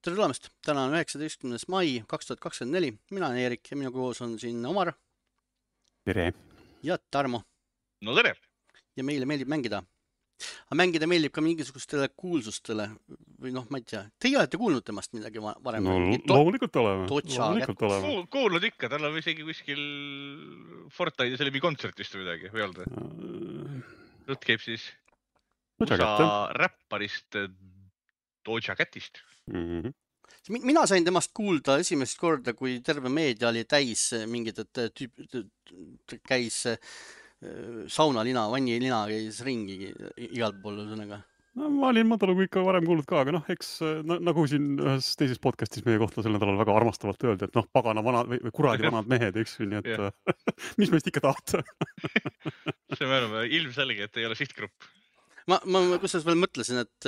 Tere tulemast! Täna on 19. mai 2024. Mina olen Eerik ja minu koos on siin Omar. Tere! Ja Tarmo. No tere! Ja meile meeldib mängida. Aga mängida meeldib ka mingisugustele kuulsustele. Või noh, ma ei tea. Teie olete kuulnud temast midagi varem? No loomulikult oleme. Kuulnud ikka, tal on isegi kuskil Fortnite'is oli kontsertist või midagi, või olnud? Jutt käib siis USA räpparist Doja Catist. Mina sain temast kuulda esimest korda, kui terve meedia oli täis mingid, et käis saunalina, vannilina käis ringi igalt pool ühesõnaga. No, ma olin madalugu ikka varem kuulnud ka, aga noh, eks nagu siin ühes teises podcastis meie kohta sel nädalal väga armastavalt öeldi, et noh, pagana vanad või kuradi vanad mehed, eks ju, nii et mis meist ikka tahta? See me oleme ilmselge, et ei ole sihtgrupp. Ma kusjuures veel mõtlesin, et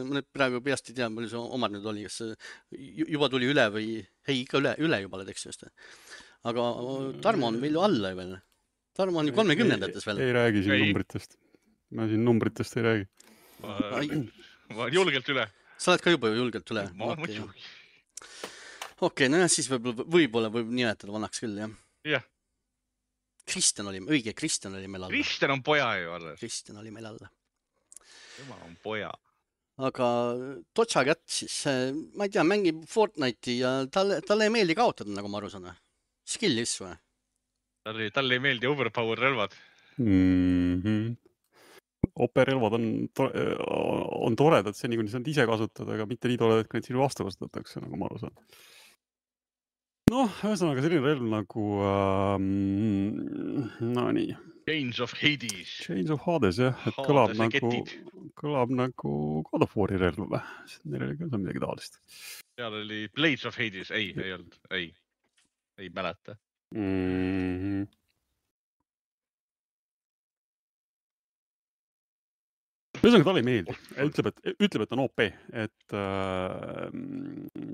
ma praegu peast ei tea, palju see Omar nüüd oli, kas juba tuli üle või ei, ikka üle juba oled, eks just. Aga Tarmo on veel ju alla veel. Tarmo on ju 30-ndates veel. Ei räägi siin numbritest. Ma siin numbritest ei räägi. Ma julgelt üle. Sa oled ka juba julgelt üle. Okei, no jah, siis võib-olla võib nimetada vanaks küll, jah. Jah. Kristjan oli meil alla. Kristjan on poja ju alla. Kristjan oli meil alla. Tema on poja. Aga Doja Cat siis, ma ei tea, mängib Fortnite'i ja talle ei meeldi kaotada, nagu ma aru saan. Skillis või? Talle ei meeldi overpower relvad. OP-relvad on toredad seni, kui neid ise kasutada, aga mitte nii toredad, kui neid sinu vastu kasutatakse, nagu ma aru saan. Noh, ühesõnaga selline relv nagu no nii. Chains of Hades. Chains of Hades, jah. Et kõlab nagu God of War'i relv või? Neil oli ka midagi taolist. Seal oli Blades of Hades. Ei olnud. Ei mäleta. Ühesõnaga talle ei meeldi. Ütleb, et on OP, et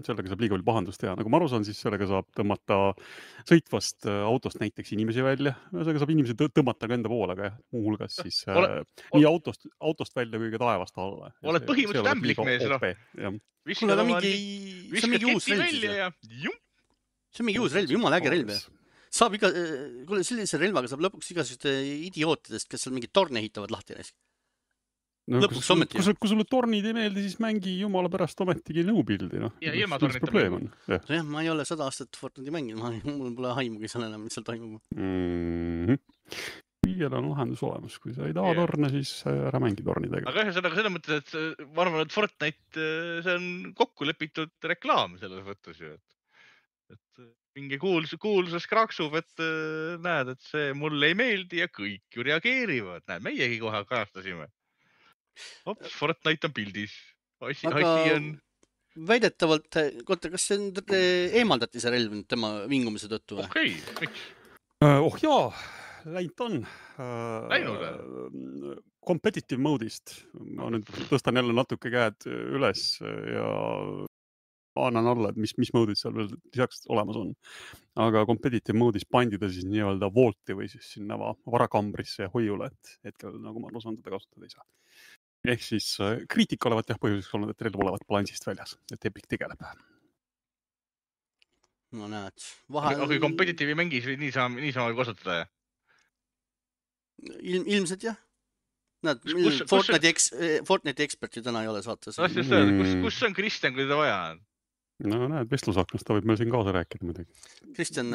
sellega saab liiga palju pahandust teha. Nagu ma aru saan, siis sellega saab tõmmata sõitvast autost näiteks inimesi välja. Ühesõnaga saab inimesi tõmmata ka enda poole, aga muuhulgas siis nii autost välja kui ka taevast alla. Oled põhimõtteliselt ämblikmees. Kuule, see on mingi uus relv. See on mingi uus relv, jumala äge relv. Kuule, sellise relvaga saab lõpuks igasugust idiootidest, kes seal mingid torne ehitavad lahti näis. No, kui sulle tornid ei meeldi, siis mängi jumala pärast ometigi nõupildi. Ja ilma tornita mängu. Jah, ma ei ole 100 aastat Fortnite'i mänginud, mul pole haimugi seal enam, mis seal toimub. Kõigel on lahendus olemas, kui sa ei taha torne, siis ära mängi tornidega. Aga ühesõnaga selles mõttes, et ma arvan, et Fortnite, see on kokku lepitud reklaam selles mõttes ju. Et mingi kuulsus kraksub, et näed, et see mulle ei meeldi ja kõik ju reageerivad. Näed, meiegi kohe kajastasime. Fortnite on pildis. Aga väidetavalt, kas see eemaldati see relv tema vingumise tõttu või? Okei, miks? Jaa, läinud on. Läinud? Competitive mode'ist. Ma nüüd tõstan jälle natuke käed üles ja annan alla, et mis mode'id seal veel lisaks olemas on. Aga competitive mode'is pandi ta siis nii-öelda vaulti või siis sinna varakambrisse ja hoiule, et hetkel nagu ma aru saan, teda kasutada ei saa. Ehk siis kriitika olevat jah põhjuseks olnud, et relv olevat balansist väljas, et Epic tegeleb. No näed. Aga kui competitive mängis või niisama kasutada? Ilmselt jah. Näed, Fortnite'i ekspert ju täna ei ole saates. Kus on Kristjan, kui ta vaja on? No näed, vestlusaknas ta võib meil siin kaasa rääkida midagi. Kristjan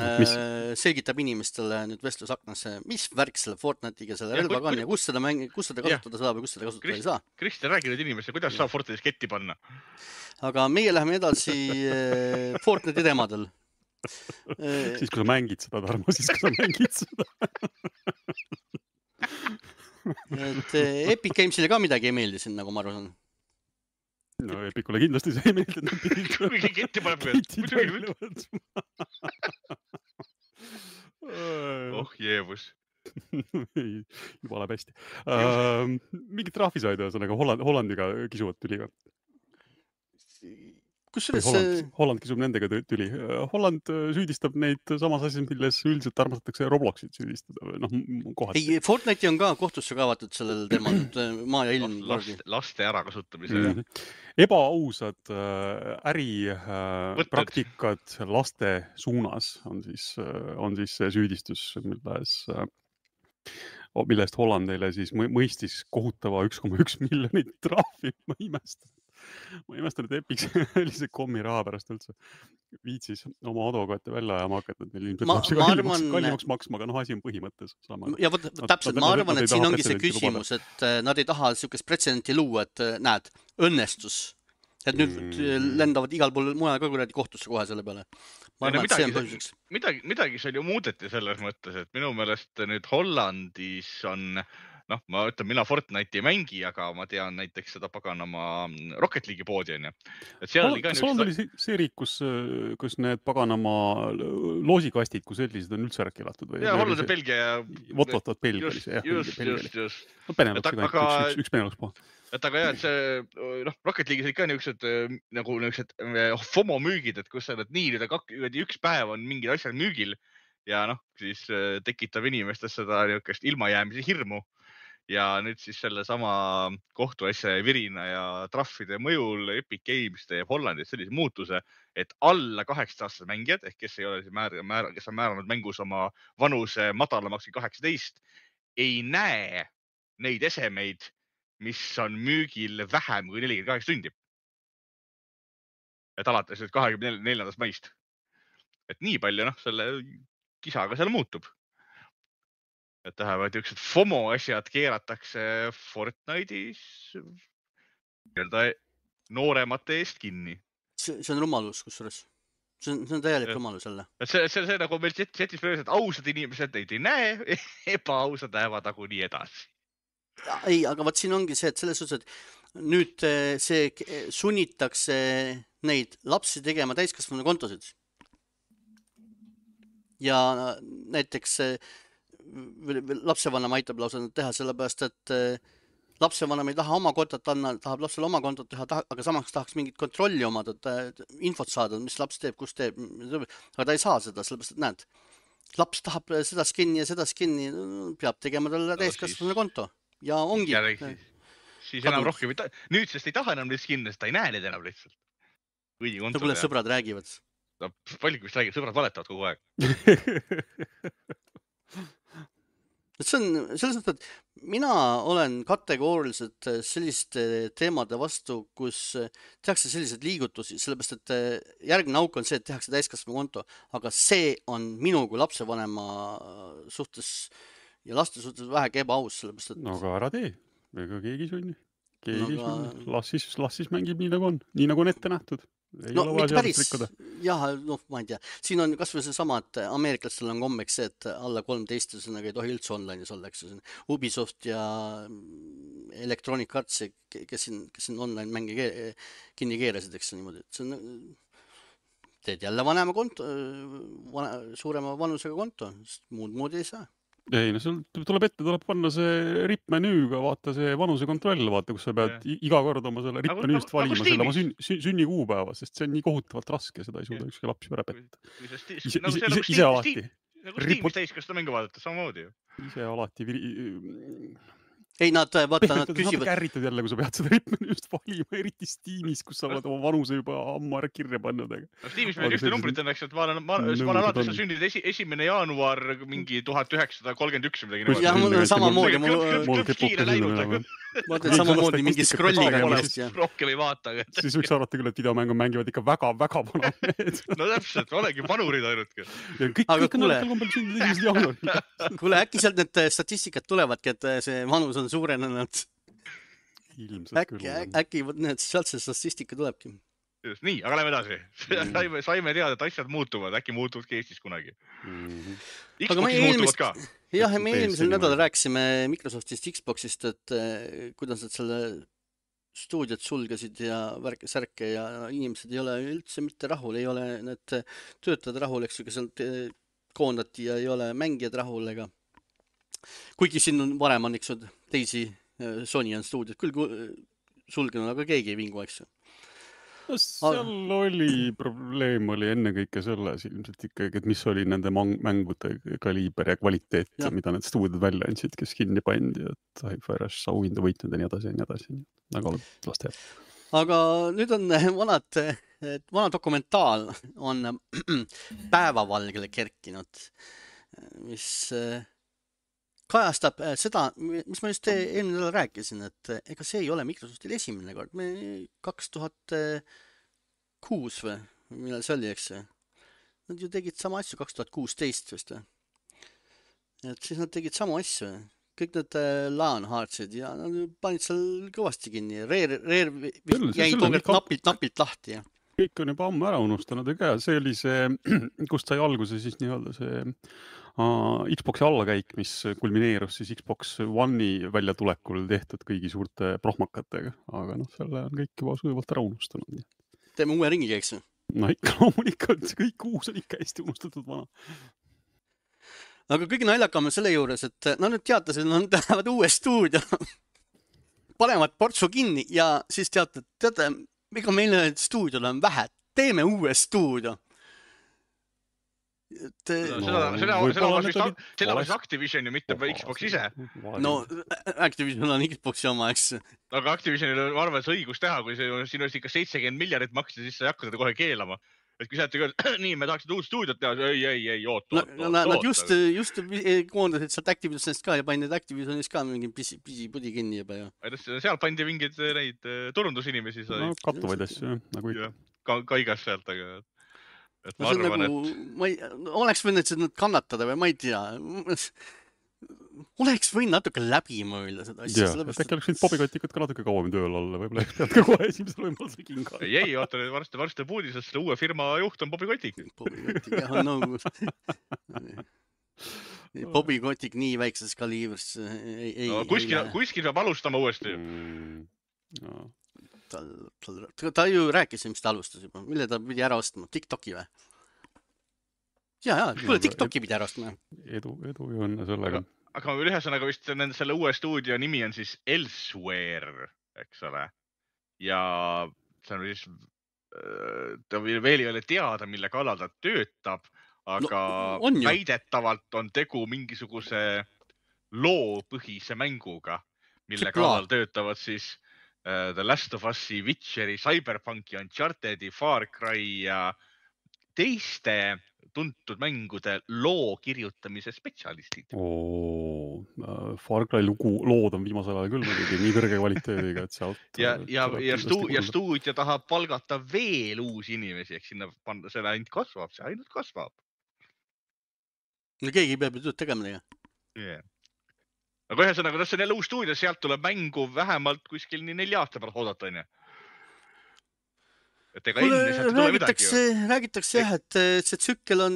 selgitab inimestele nüüd vestlusaknas, mis värk selle Fortnite'iga selle relvaga on ja kus seda kasutada saab ja kus seda kasutada ei saa. Kristjan, räägi nüüd inimestele, kuidas saab Fortnite'is ketti panna? Aga meie läheme edasi Fortnite'i teemadel. Siis kui sa mängid seda, Tarmo, Et Epic Games'ile ka midagi ei meeldi siin, nagu ma aru saan. No Epicule kindlasti see ei meeldi, et nad pidid kuigi ketti paneb jeebus. Juba läheb hästi. Mingit trahvi said ühesõnaga Hollandiga kisuvad tüliga. kusjuures Holland kisub nendega tüli. Holland süüdistab neid samas asjas, milles üldiselt armastatakse Robloxit süüdistada. Noh, kohati. ei, Fortnite'i on ka kohtusse kaevatud sellel teemal, maa ja ilm. Laste ärakasutamise. Ebaausad äripraktikad laste suunas on siis see süüdistus, millest Hollandile siis mõistis kohutava 1,1 miljonit trahvi. Ma imestan, et Epic sellise kommi raha pärast üldse viitsis oma advokaate välja ajama hakata, et neil ilmselt kallimaks maksma, aga asi on põhimõttes sama. Ja täpselt, ma arvan, et siin ongi see küsimus, et nad ei taha niisugust pretsedenti luua, et näed, õnnestus. Et nüüd lendavad igal pool mujal ka kuradi kohtusse kohe selle peale. Ma arvan, et see on põhjuseks. Midagi seal ju muudeti selles mõttes, et minu meelest nüüd Hollandis on ma ütlen, mina Fortnite'i ei mängi, aga ma tean näiteks seda paganama Rocket League'i poodi on ju. Holland oli see riik, kus need paganama loosikastid, kus sellised on üldse ära keelatud? Ja, Holland ja Belgia ja... Vot Belgia oli see, jah. Just. Beneluxi, üks Benelux pool. Et aga jah, et see Rocket League'is ikka niisugused nagu niisugused FOMO müügid, et kus sa nii üks päev on mingid asjad müügil ja siis tekitab inimestes seda niisugust ilmajäämise hirmu. Ja nüüd siis selle sama kohtuasja ja virina ja trahvide mõjul Epic Games teeb Hollandis sellise muutuse, et alla 18-aastased mängijad, ehk kes ei ole kes on määranud mängus oma vanuse madalamaks kui 18, ei näe neid esemeid, mis on müügil vähem kui 48 tundi. Et alates 24. maist. Et nii palju selle kisaga seal muutub. Et tähendab, et üks FOMO asjad keeratakse Fortnite'is nooremate eest kinni. See on rumalus, kusjuures. See on täielik rumalus jälle. See nagu meil chatis praegu, et ausad inimesed neid ei näe, ebaausad lähevad nagu nii edasi. Ei, aga vaat siin ongi see, et selles suhtes, et nüüd see sunnitakse neid lapsi tegema täiskasvanu kontosid. Ja näiteks lapsevanem aitab lausa teha sellepärast, et lapsevanem ei taha oma kontot anda, tahab lapsele oma kontot teha, aga samaks tahaks mingit kontrolli omada, infot saada, mis laps teeb, kus teeb, aga ta ei saa seda, sellepärast, et näed, laps tahab seda skinni ja seda skinni, peab tegema talle täiskasvanu konto ja ongi. Siis enam rohkem, nüüd sest ei taha enam neid skinne, sest ta ei näe neid enam lihtsalt. Kuule, sõbrad räägivad. Palju vist räägib, sõbrad valetavad kogu aeg. See on selles mõttes, et mina olen kategooriliselt selliste teemade vastu, kus tehakse sellised liigutusi, sellepärast, et järgmine auk on see, et tehakse täiskasvanu konto, aga see on minu kui lapsevanema suhtes ja laste suhtes vähegi ebaaus, sellepärast, et... No aga ära tee, ega keegi sunni. Las siis mängib nii nagu on ette nähtud. No mitte päris, jah, ma ei tea. Siin on kas või see sama, et ameeriklastel on kommeks see, et alla 13 ei tohi üldse online'is olla, eks see on Ubisoft ja Electronic Arts, kes siin online mänge kinni keerasid, eks niimoodi. See on, teed jälle vanema konto, suurema vanusega konto, sest muud moodi ei saa. Ei, no sul tuleb panna see ripmenüüga, vaata see vanuse kontroll, vaata, kus sa pead iga kord oma selle ripmenüüst valima selle oma sünni kuupäeva, sest see on nii kohutavalt raske, seda ei suuda ükski laps ära petta. Ise alati. Nagu Steamis täiskasvanu mängu vaadata, samamoodi ju. Ise alati ei, nad küsivad... Nad kärritud jälle, kui sa pead seda ripmenüüst valima, eriti Steamis, kus sa oled oma vanuse juba ammu ära kirja pannud. Steamis meil ühte numbrit on, eks, et ma olen alati sa sündid 1. jaanuar mingi 1931 või midagi. Jah, mul on samamoodi. Mul kipuke sündamine. Ma ütlen samamoodi mingi scrolliga. Rohkem ei vaata. Siis võiks arvata küll, et videomängu mängivad ikka väga vanad. No täpselt, olegi vanurid ainultki. Kõik on alati kombel sündid 1. jaanuar. Kuule, äkki sealt need statistikad tulevadki, et see vanus on suurenenud. Äkki sealt see statistika tulebki. Nii, aga lähme edasi. Saime teada, et asjad muutuvad, äkki muutuvadki Eestis kunagi. Xboxis muutuvad ka. Jah, me eelmisel nädal rääkisime Microsoftist, Xboxist, et kuidas nad selle stuudiot sulgesid ja särke ja inimesed ei ole üldse mitte rahul, ei ole need töötajad rahul, eks ju, kes koondati ja ei ole mängijad rahul ega. Kuigi siin on varem on, eks ju, teisi Sony on stuudiot küll sulgenud, aga keegi ei vingu, eks ju. No, seal oli probleem oli ennekõike selles ilmselt ikkagi, et mis oli nende mängude kaliiber ja kvaliteet, mida need stuudiod välja andsid, kes kinni pandi, et Hi-Fi Rush auhinda võitnud ja nii edasi ja nii edasi. Aga las teeb. Aga nüüd on vana dokumentaal on päevavalgele kerkinud, mis kajastab seda, mis ma just eelmine nädal rääkisin, et ega see ei ole Microsoftil esimene kord. 2006 või millal see oli, eks? Nad ju tegid sama asju 2016 vist. Et siis nad tegid samu asju. Kõik need LAN Heartsid ja nad panid seal kõvasti kinni. Rare jäi tookord napilt lahti. Ja. Kõik on juba ammu ära unustanud, ega see oli see, kust sai alguse siis nii-öelda see Xboxi allakäik, mis kulmineerus siis Xbox One'i väljatulekul tehtud kõigi suurte prohmakatega, aga selle on kõik juba sujuvalt ära unustanud. Teeme uue ringi, eks? No ikka loomulikult, kõik uus on ikka hästi unustatud vana. Aga kõige naljakam on selle juures, et nad nüüd teatasid, nad lähevad uue stuudio, panevad portsu kinni ja siis teate, ega meile stuudiole on vähe, teeme uue stuudio. Seda oleks Activision ja mitte Xbox ise. No, Activision on Xboxi oma, eks. Aga Activisionil on arvates õigus teha, kui siin oleks ikka 70 miljardit maksta, siis sa ei hakka seda kohe keelama. Et kui sa ütled, nii, me tahaksid uut stuudiot teha, ei, oota. Nad just koondasid sealt Activisionist ka ja panid Activisionist ka mingi pisi-pudi kinni juba. Seal pandi mingid neid turundusinimesi. No, kattuvaid asju, nagu ikka. Kaigas sealt, aga... Ma arvan, oleks võinud seda kannatada või ma ei tea. Oleks võinud natuke läbi mõelda seda asja. Äkki oleks võinud Bobikotikud ka natuke kauem tööl olla, võib-olla pead ka kohe esimesel võimalusel kinga. Ei, oota, varsti puudis, et selle uue firma juht on Bobikotik. Bobikotik, jah, no... Bobikotik nii väikses kaliivris ei... Kuskil peab alustama uuesti. Ta ju rääkis, mis ta alustas juba. Mille ta pidi ära ostma? TikToki või? Kuule, TikToki pidi ära ostma. Edu ja õnne sellega. Aga ühesõnaga vist selle uue stuudio nimi on siis Elsewhere, eks ole. Ja see on siis, ta veel ei ole teada, mille kallal ta töötab, aga väidetavalt on tegu mingisuguse loopõhise mänguga, mille kallal töötavad siis The Last of Us'i, Witcheri, Cyberpunki, Unchartedi, Far Cry ja teiste tuntud mängude loo kirjutamise spetsialistid. Far Cry lood on viimasel ajal küll muidugi nii kõrge kvaliteediga, et sealt... Ja stuudio tahab palgata veel uusi inimesi, ehk sinna see ainult kasvab. No keegi peab ju tööd tegema teha. Aga ühesõnaga, see on jälle uus stuudio, sealt tuleb mängu vähemalt kuskil 4 aasta pärast oodata, on ju. Et ega enne sealt ei tule midagi ju. Räägitakse jah, et see tsükkel on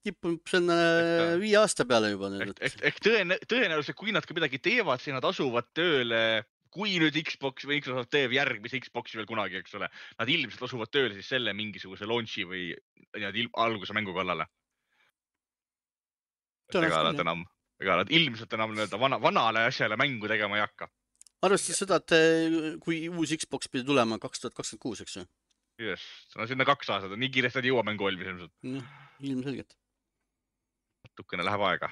tippunud 5 aasta peale juba. Ehk tõenäoliselt, kui nad ka midagi teevad, siis nad asuvad tööle, kui nüüd Xbox või Microsoft teeb järgmise Xboxi veel kunagi, eks ole, nad ilmselt asuvad tööle siis selle mingisuguse launchi või alguse mängu kallale. Ega nad ilmselt enam vanale asjale mängu tegema ei hakka. Arvestades seda, et kui uus Xbox pidi tulema 2026, eks ju? Yes, sinna 2 aastat, nii kiiresti ei jõua mängu valmis ilmselt. Ilmselgelt. Natukene läheb aega.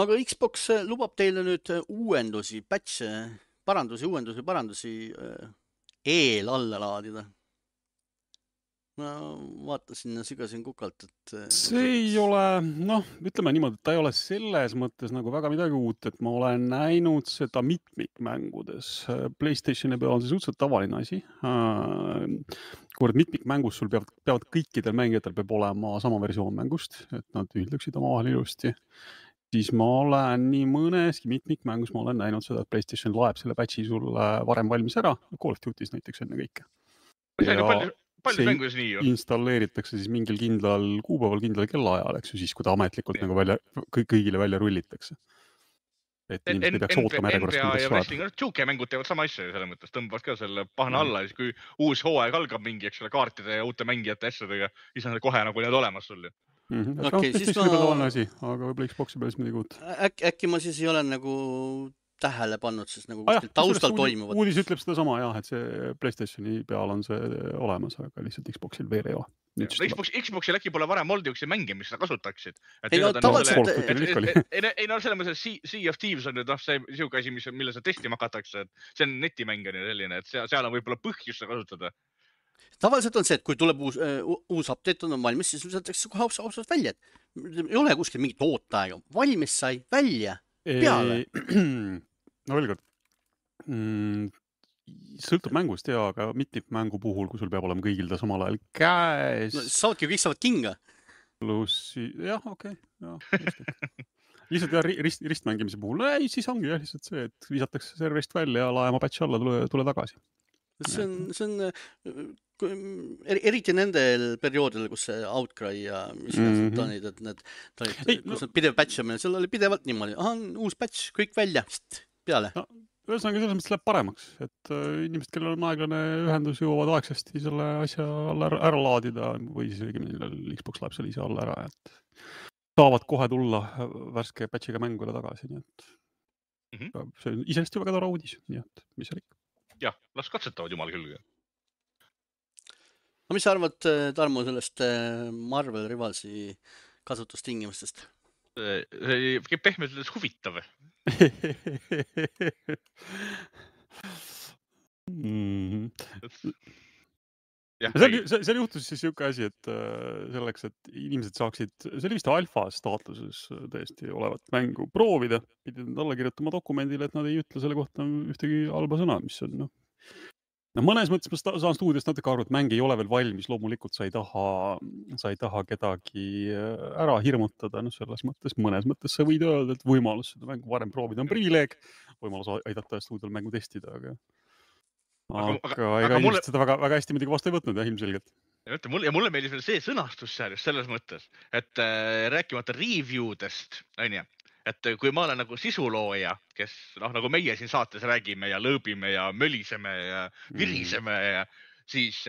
Aga Xbox lubab teile nüüd uuendusi, parandusi alla laadida. Ma vaatasin ja sügasin kukalt, et... See ei ole, ütleme niimoodi, et ta ei ole selles mõttes nagu väga midagi uut, et ma olen näinud seda mitmikmängudes. PlayStationi peal on see suhteliselt tavaline asi. Kui mitmikmängus sul peavad kõikidel mängijatel peab olema sama versioon mängust, et nad ühildaksid omavahel ilusti. Siis ma olen nii mõneski mitmikmängus, ma olen näinud seda, et PlayStation laeb selle patchi sulle varem valmis ära. Call of Duty's näiteks enne kõike. Palju mängus nii ju? Installeeritakse siis mingil kindlal kuupäeval, kindlal kellaajal, eks ju, siis kui ta ametlikult nagu kõigile välja rullitakse. Et inimesed ei peaks ootama järjekorrast, NBA ja Wrestling, 2K mängud teevad sama asja selles mõttes, tõmbavad ka selle pahna alla, siis kui uus hooaeg algab mingi, eks ole, kaartide ja uute mängijate asjadega, siis on kohe nagu need olemas sul ju. Okay, siis ma... Asi, aga võib-olla Xboxi peal midagi uut. Äkki ma siis ei ole nagu tähele pannud, siis nagu Ah, kuskil taustal toimuvad. Uudis ütleb seda sama jah, et see PlayStationi peal on see olemas, aga lihtsalt Xboxil veel ei ole. Xboxil äkki pole varem olnud üks mänge, mis seda kasutaksid. Ei, no tavaliselt- Ei no selles mõttes, Sea of Thieves on nüüd see siuke asi, mille sa testima hakatakse, et see on netimäng on ju selline, et seal on võib-olla põhjus seda kasutada. Tavaliselt on see, et kui tuleb uus update on valmis, siis võetakse kohe ausalt välja, et ei ole kuskil mingit ooteaega. Valmis sai välja, peale. No veel kord. Sõltub mängust ja, aga mitmikmängu puhul, kui sul peab olema kõigil ta samal ajal käes. No, saavadki kõik saavad kinga. Pluss, jah, okei. Lihtsalt jah, ristmängimise puhul, ei, siis ongi jah lihtsalt see, et visatakse serverist välja ja laema patch alla, tule tagasi. See on eriti nendel perioodil, kus see Outcry ja mis tanid, et need kus need pidev patchamine, seal oli pidevalt niimoodi, uus patch, kõik välja, peale. No, ühesõnaga selles mõttes läheb paremaks, et inimesed, kellel on aeglane ühendus, jõuavad aegsasti selle asja alla ära laadida või siis õigemini Xbox läheb selle ise alla ära, et saavad kohe tulla värske patchiga mängule tagasi, nii et see on iseenesest ju väga tore uudis, nii et mis seal ikka. Jah, las katsetavad jumal küll. No mis sa arvad, Tarmo, sellest Marvel Rivalsi kasutustingimustest? See käib pehmelt öeldes huvitav. Seal juhtus siis siuke asi, et selleks, et inimesed saaksid, see oli vist alfa staatuses tõesti olevat mängu proovida, pidid nad alla kirjutama dokumendile, et nad ei ütle selle kohta ühtegi halba sõna, mis on mõnes mõttes ma saan stuudiost natuke aru, et mäng ei ole veel valmis, loomulikult sa ei taha kedagi ära hirmutada, selles mõttes, mõnes mõttes sa võid öelda, et võimalus seda mängu varem proovida on privileeg, võimalus aidata stuudiol mängu testida, aga ega inimesed seda väga hästi muidugi vastu ei võtnud, ilmselgelt. Ja mulle meeldis veel see sõnastus seal just selles mõttes, et rääkimata review'dest, on ju, et kui ma olen nagu sisulooja, kes nagu meie siin saates räägime ja lõõbime ja möliseme ja viriseme, siis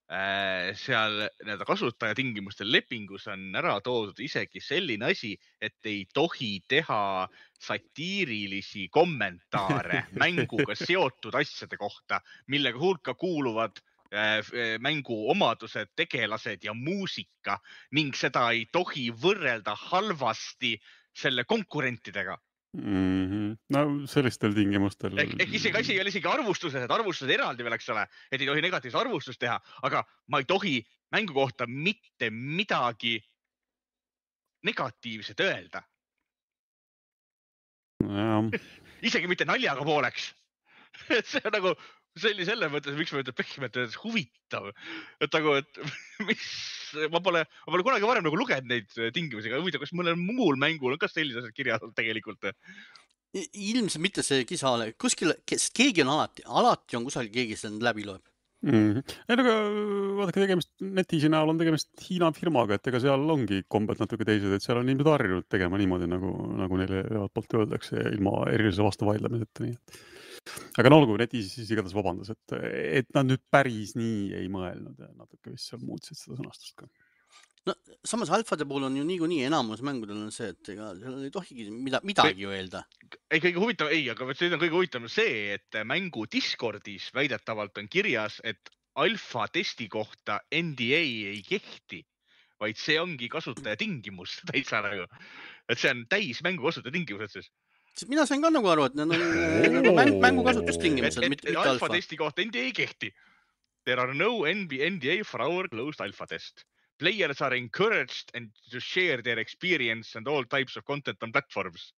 seal kasutajatingimuste lepingus on ära toodud isegi selline asi, et ei tohi teha satiirilisi kommentaare mänguga seotud asjade kohta, millega hulka kuuluvad mängu omadused, tegelased ja muusika ning seda ei tohi võrrelda halvasti selle konkurentidega. No sellistel tingimustel. Isegi asi ei ole isegi arvustuses, et arvustused eraldi veel, eks ole, et ei tohi negatiivset arvustust teha, aga ma ei tohi mängu kohta mitte midagi negatiivset öelda. Isegi mitte naljaga pooleks. Et see on nagu selle mõttes, miks ma ütlen pehmelt huvitav. Et nagu, et ma pole kunagi varem nagu lugenud neid tingimusi, aga huvitav, kas mõnel muul mängul on ka sellised kirjad tegelikult? Ilmselt mitte see kisa, kuskil, keegi on alati on kusagil keegi seda läbi loeb. Aga vaadake, netiisi näol on tegemist Hiina firmaga, et ega seal ongi kombed natuke teised, et seal on inimesed harjunud tegema niimoodi, nagu neile poolt öeldakse, ilma erilise vastu vaidlemiseta. Nii. Aga olgu, netiisi siis igatahes vabandas, et nad nüüd päris nii ei mõelnud ja natuke vist seal muutsid seda sõnastust ka. No, samas alfade puhul on ju niikuinii enamus mängudel on see, et ega seal ei tohigi midagi öelda. Ei, kõige huvitav, aga see on kõige huvitav see, et mängu Discordis väidetavalt on kirjas, et alfa testi kohta NDA ei kehti, vaid see ongi kasutaja tingimus täitsa nagu. Et see on täis mängu kasutaja tingimused siis. Mina sain ka nagu aru, et need on mängu kasutustingimused, mitte alfa. Alfa testi kohta NDA ei kehti. There are no NDA for our closed alpha test. Players are encouraged to share their experience and all types of content on platforms.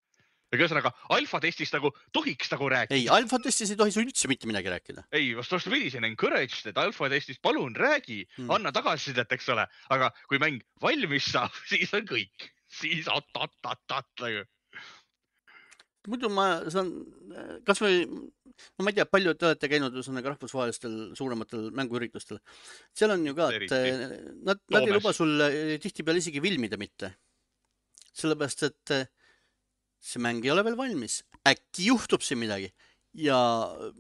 Ja ühesõnaga, alfa testist nagu tohiks nagu rääkida. Ei, alfa testis ei tohi su üldse mitte midagi rääkida. Ei, vastupidi, see on encouraged, et alfa testist palun räägi, anna tagasisidet, eks ole. Aga kui mäng valmis saab, siis on kõik. Siis nagu. Muidu ma saan, kas või, ma ei tea, palju te olete käinud rahvusvahelistel suurematel mänguüritustel. Seal on ju ka, et nad ei luba sul tihti peale isegi filmida mitte. Sellepärast, et see mäng ei ole veel valmis. Äkki juhtub siin midagi. Ja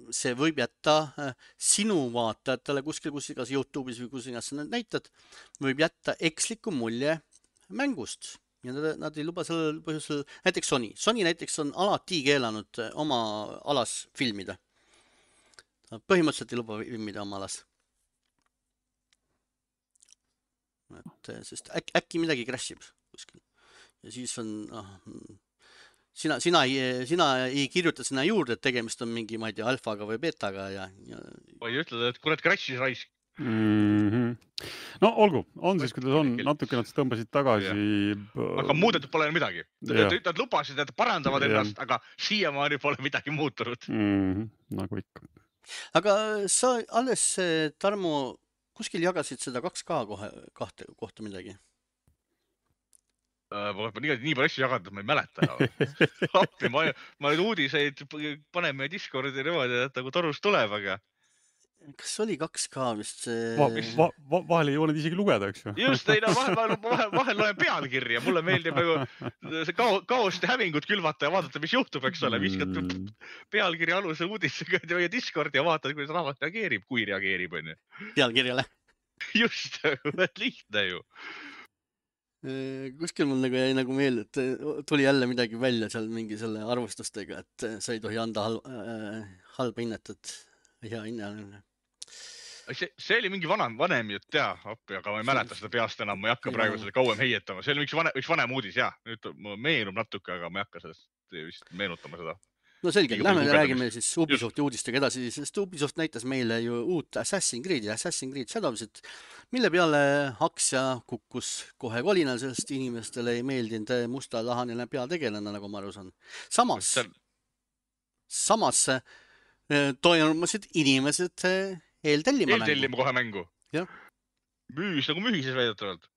see võib jätta sinu vaatajatele kuskil, kas YouTube'is või kus iganes sa näitad, võib jätta eksliku mulje mängust. ja nad ei luba sellel põhjusel, näiteks Sony näiteks on alati keelanud oma alas filmida. Põhimõtteliselt ei luba filmida oma alas. Et, sest äkki midagi crashib kuskil. Ja siis on, sina ei kirjuta sinna juurde, et tegemist on mingi, ma ei tea, alfaga või betaga või ütled, et kurat crash'is raisk. No olgu, on siis, kuidas on, natuke nad tõmbasid tagasi. Aga muudetud pole midagi. Nad lubasid, et parandavad ennast, aga siiamaani pole midagi muutunud. Nagu ikka. Aga sa alles, Tarmo, kuskil jagasid seda 2K kohta midagi? Nii palju asju jaganud, ma ei mäleta. Appi, ma nüüd uudiseid panen meie Discordi niimoodi, et nagu torust tuleb, aga kas oli 2K vist? Vahel ei ole isegi lugeda, eks ju? Just, ei, vahel loen pealkirja. Mulle meeldib nagu see kaost ja hävingut külvata ja vaadata, mis juhtub, eks ole. Viskad pealkirja alusel uudisega meie Discordi ja vaatad, kuidas rahvas reageerib, kui reageerib. Pealkirjale. Just, lihtne ju. Kuskil mul nagu jäi nagu meelde, et tuli jälle midagi välja seal mingi selle arvustustega, et sa ei tohi anda halba hinnet, et hea hinne. See oli mingi vanem jutt, aga ma ei mäleta seda peast enam, ma ei hakka praegu seda kauem heietama. See oli üks vanem uudis, nüüd meenub natuke, aga ma ei hakka sellest vist meenutama seda. No selge, lähme räägime siis Ubisofti uudistega edasi, sest Ubisoft näitas meile ju uut Assassin's Creed Shadowsit, mille peale aktsia kukkus kohe kolinal, sest inimestele ei meeldinud mustalahaneline peategelane, nagu ma aru saan. Samas toimusid inimesed eeltellima kohe mängu. Müüs nagu mühises väidetavalt.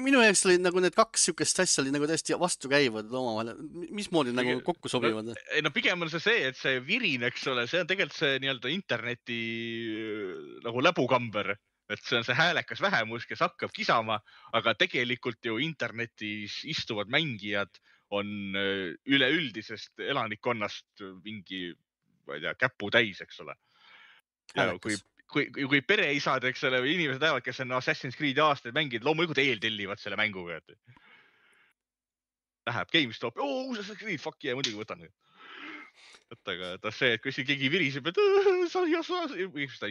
Minu jaoks oli nagu need kaks sükest asja oli nagu täiesti vastu käivad omavahel. Mismoodi nagu kokku sobivad? No pigem on see, et see virin, eks ole, see on tegelikult see nii-öelda interneti nagu läbukamber. Et see on see häälekas vähemus, kes hakkab kisama, aga tegelikult ju internetis istuvad mängijad on üleüldisest elanikkonnast mingi, ma ei tea, käpu täis, eks ole. Ja kui pereisad, eks ole, või inimesed ajavad, kes on Assassin's Creed aastaid mängid, loomulikult eeltellivad selle mänguga. Läheb GameStop, Assassin's Creed, fuck yeah, muidugi võtan. Aga see, et kui siin keegi viriseb, et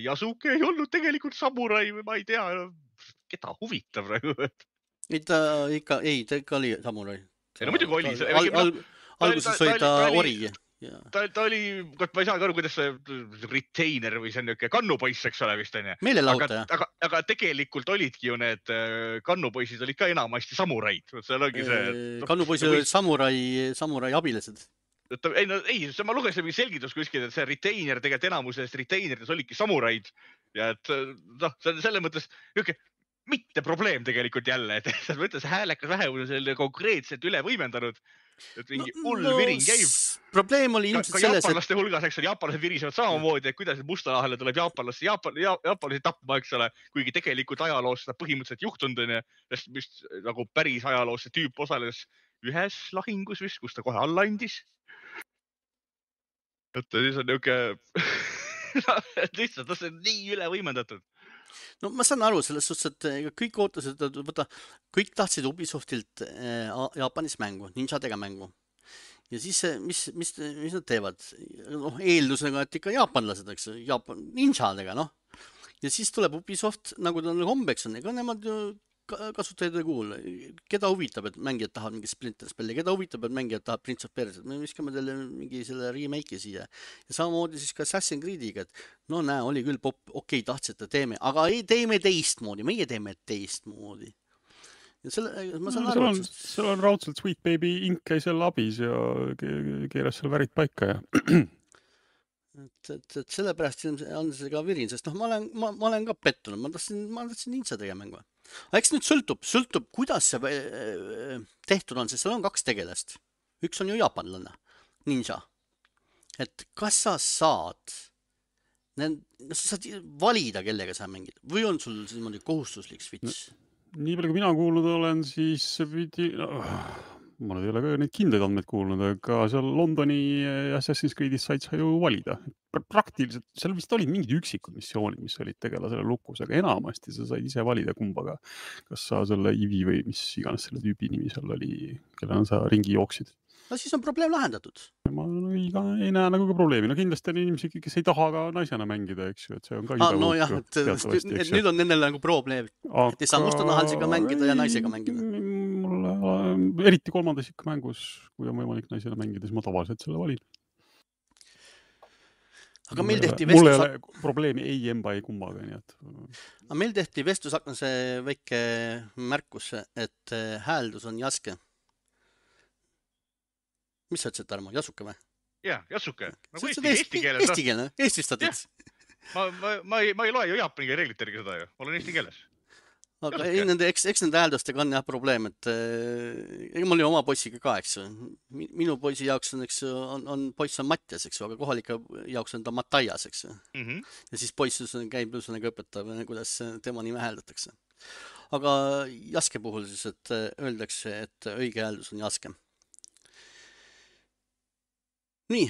Yasuke ei olnud tegelikult samurai või ma ei tea, keda huvitab praegu. Ta ikka oli samurai. No muidugi oli. Alguses oli ta ori. Ta oli, ma ei saa aru, kuidas see retainer või see on niisugune kannupoiss, eks ole vist on. Meelelahutaja. Aga tegelikult olidki ju need kannupoisid olid ka enamasti samuraid. Kannupoisid olid samurai abilised. Ei, ma lugesin mingi selgitus kuskil, et see retainer tegelikult enamusest retaineridest olidki samuraid. Ja et see on selles mõttes mitte probleem tegelikult jälle, et sa mõttes häälekas vähemus on selle konkreetselt üle võimendanud. Et mingi hull viring käib. Probleem oli ilmselt selles, jaapanlaste hulgas, eks ole, jaapanlased virisevad samamoodi, et kuidas mustalahale tuleb jaapanlasi tapma, eks ole, kuigi tegelikult ajaloos seda põhimõtteliselt juhtunud on, sest vist nagu päris ajaloos see tüüp osales ühes lahingus vist, kus ta kohe alla andis. Et siis on niisugune lihtsalt, see on nii üle võimendatud. No ma saan aru selles suhtes, et kõik ootasid, kõik tahtsid Ubisoftilt Jaapanis mängu, ninjadega mängu. Ja siis mis nad teevad? Eeldusega, et ikka jaapanlased, eks, ninjadega, noh. Ja siis tuleb Ubisoft, nagu ta hombeks on, ega nemad kasutajad ei kuule. Keda huvitab, et mängijad tahavad mingi Splinter Spelli, keda huvitab, et mängijad tahavad Prince of Persia. Me viskame teile mingi selle remake'i siia. Ja samamoodi siis ka Assassin's Creediga, et no näe, oli küll okei, tahtsite, teeme, aga ei teeme teistmoodi, meie teeme teistmoodi. Ja ma saan aru, seal on raudselt Sweet Baby Ink käi seal abis ja keeras seal värid paika ja et sellepärast on see ka virin, sest ma olen ka pettunud, ma tahtsin ninjadega mängu. Eks nüüd sõltub, kuidas see tehtud on, sest seal on 2 tegelast. Üks on ju jaapanlane, ninja. Et kas sa saad valida, kellega sa mängid, või on sul niimoodi kohustuslik switch? Nii palju, kui mina kuulnud olen, siis ma nüüd ei ole ka neid kindlaid andmeid kuulnud, aga seal Londoni Assassin's Creed'is said sa ju valida. Praktiliselt, seal vist olid mingid üksikud missioonid, mis olid tegelasele lukus, aga enamasti sa said ise valida kumbaga. Kas sa selle Ivi või mis iganes selle tüübi nimi seal oli, kellena sa ringi jooksid. No siis on probleem lahendatud. Ma ei näe nagu ka probleemi. No kindlasti on inimesi, kes ei taha ka naisena mängida, eks ju, et see on ka no jah, et nüüd on nendel nagu probleem, et ei saa mustanahalisega mängida ja naisega mängida. Mulle eriti kolmandas ikka mängus, kui on võimalik naisena mängida, siis ma tavaliselt selle valin. Aga meil tehti mul ei ole probleemi ei emba, ei kummaga, nii et... Aga meil tehti vestlusaknase väike märkus, et hääldus on jaske. Mis sa ütlesid, Tarmo? Jasuke või? Jah, jasuke. Nagu eesti keeles. Eesti keele, eestistatud. Ma ei loe ju jaapani reeglite järgi seda ju. Ma olen eesti keeles. Aga eks nende hääldustega on jah probleem, et mul oli oma poissiga ka, eks ju. Minu poisi jaoks on poiss on Matjas, eks ju, aga kohalike jaoks on ta Matajas, eks ju. Ja siis poissus käib ühesõnaga õpetab, kuidas tema nime hääldatakse. Aga jaske puhul siis, et öeldakse, et õige hääldus on jaske. Nii,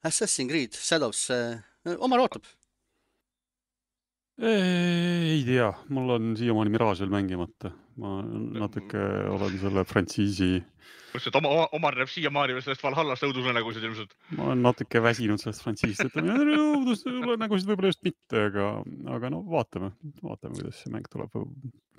Assassin's Creed, Shadows, Omar ootab? Ei tea, mul on siiamaani Mirage veel mängimata. Ma natuke olen selle frantsiisi... Omar näeb siiamaani sellest Valhallast õudusunenägusid ilmselt. Ma olen natuke väsinud sellest frantsiisist, et õudusunenägusid võib-olla just mitte, aga no vaatame, kuidas see mäng tuleb.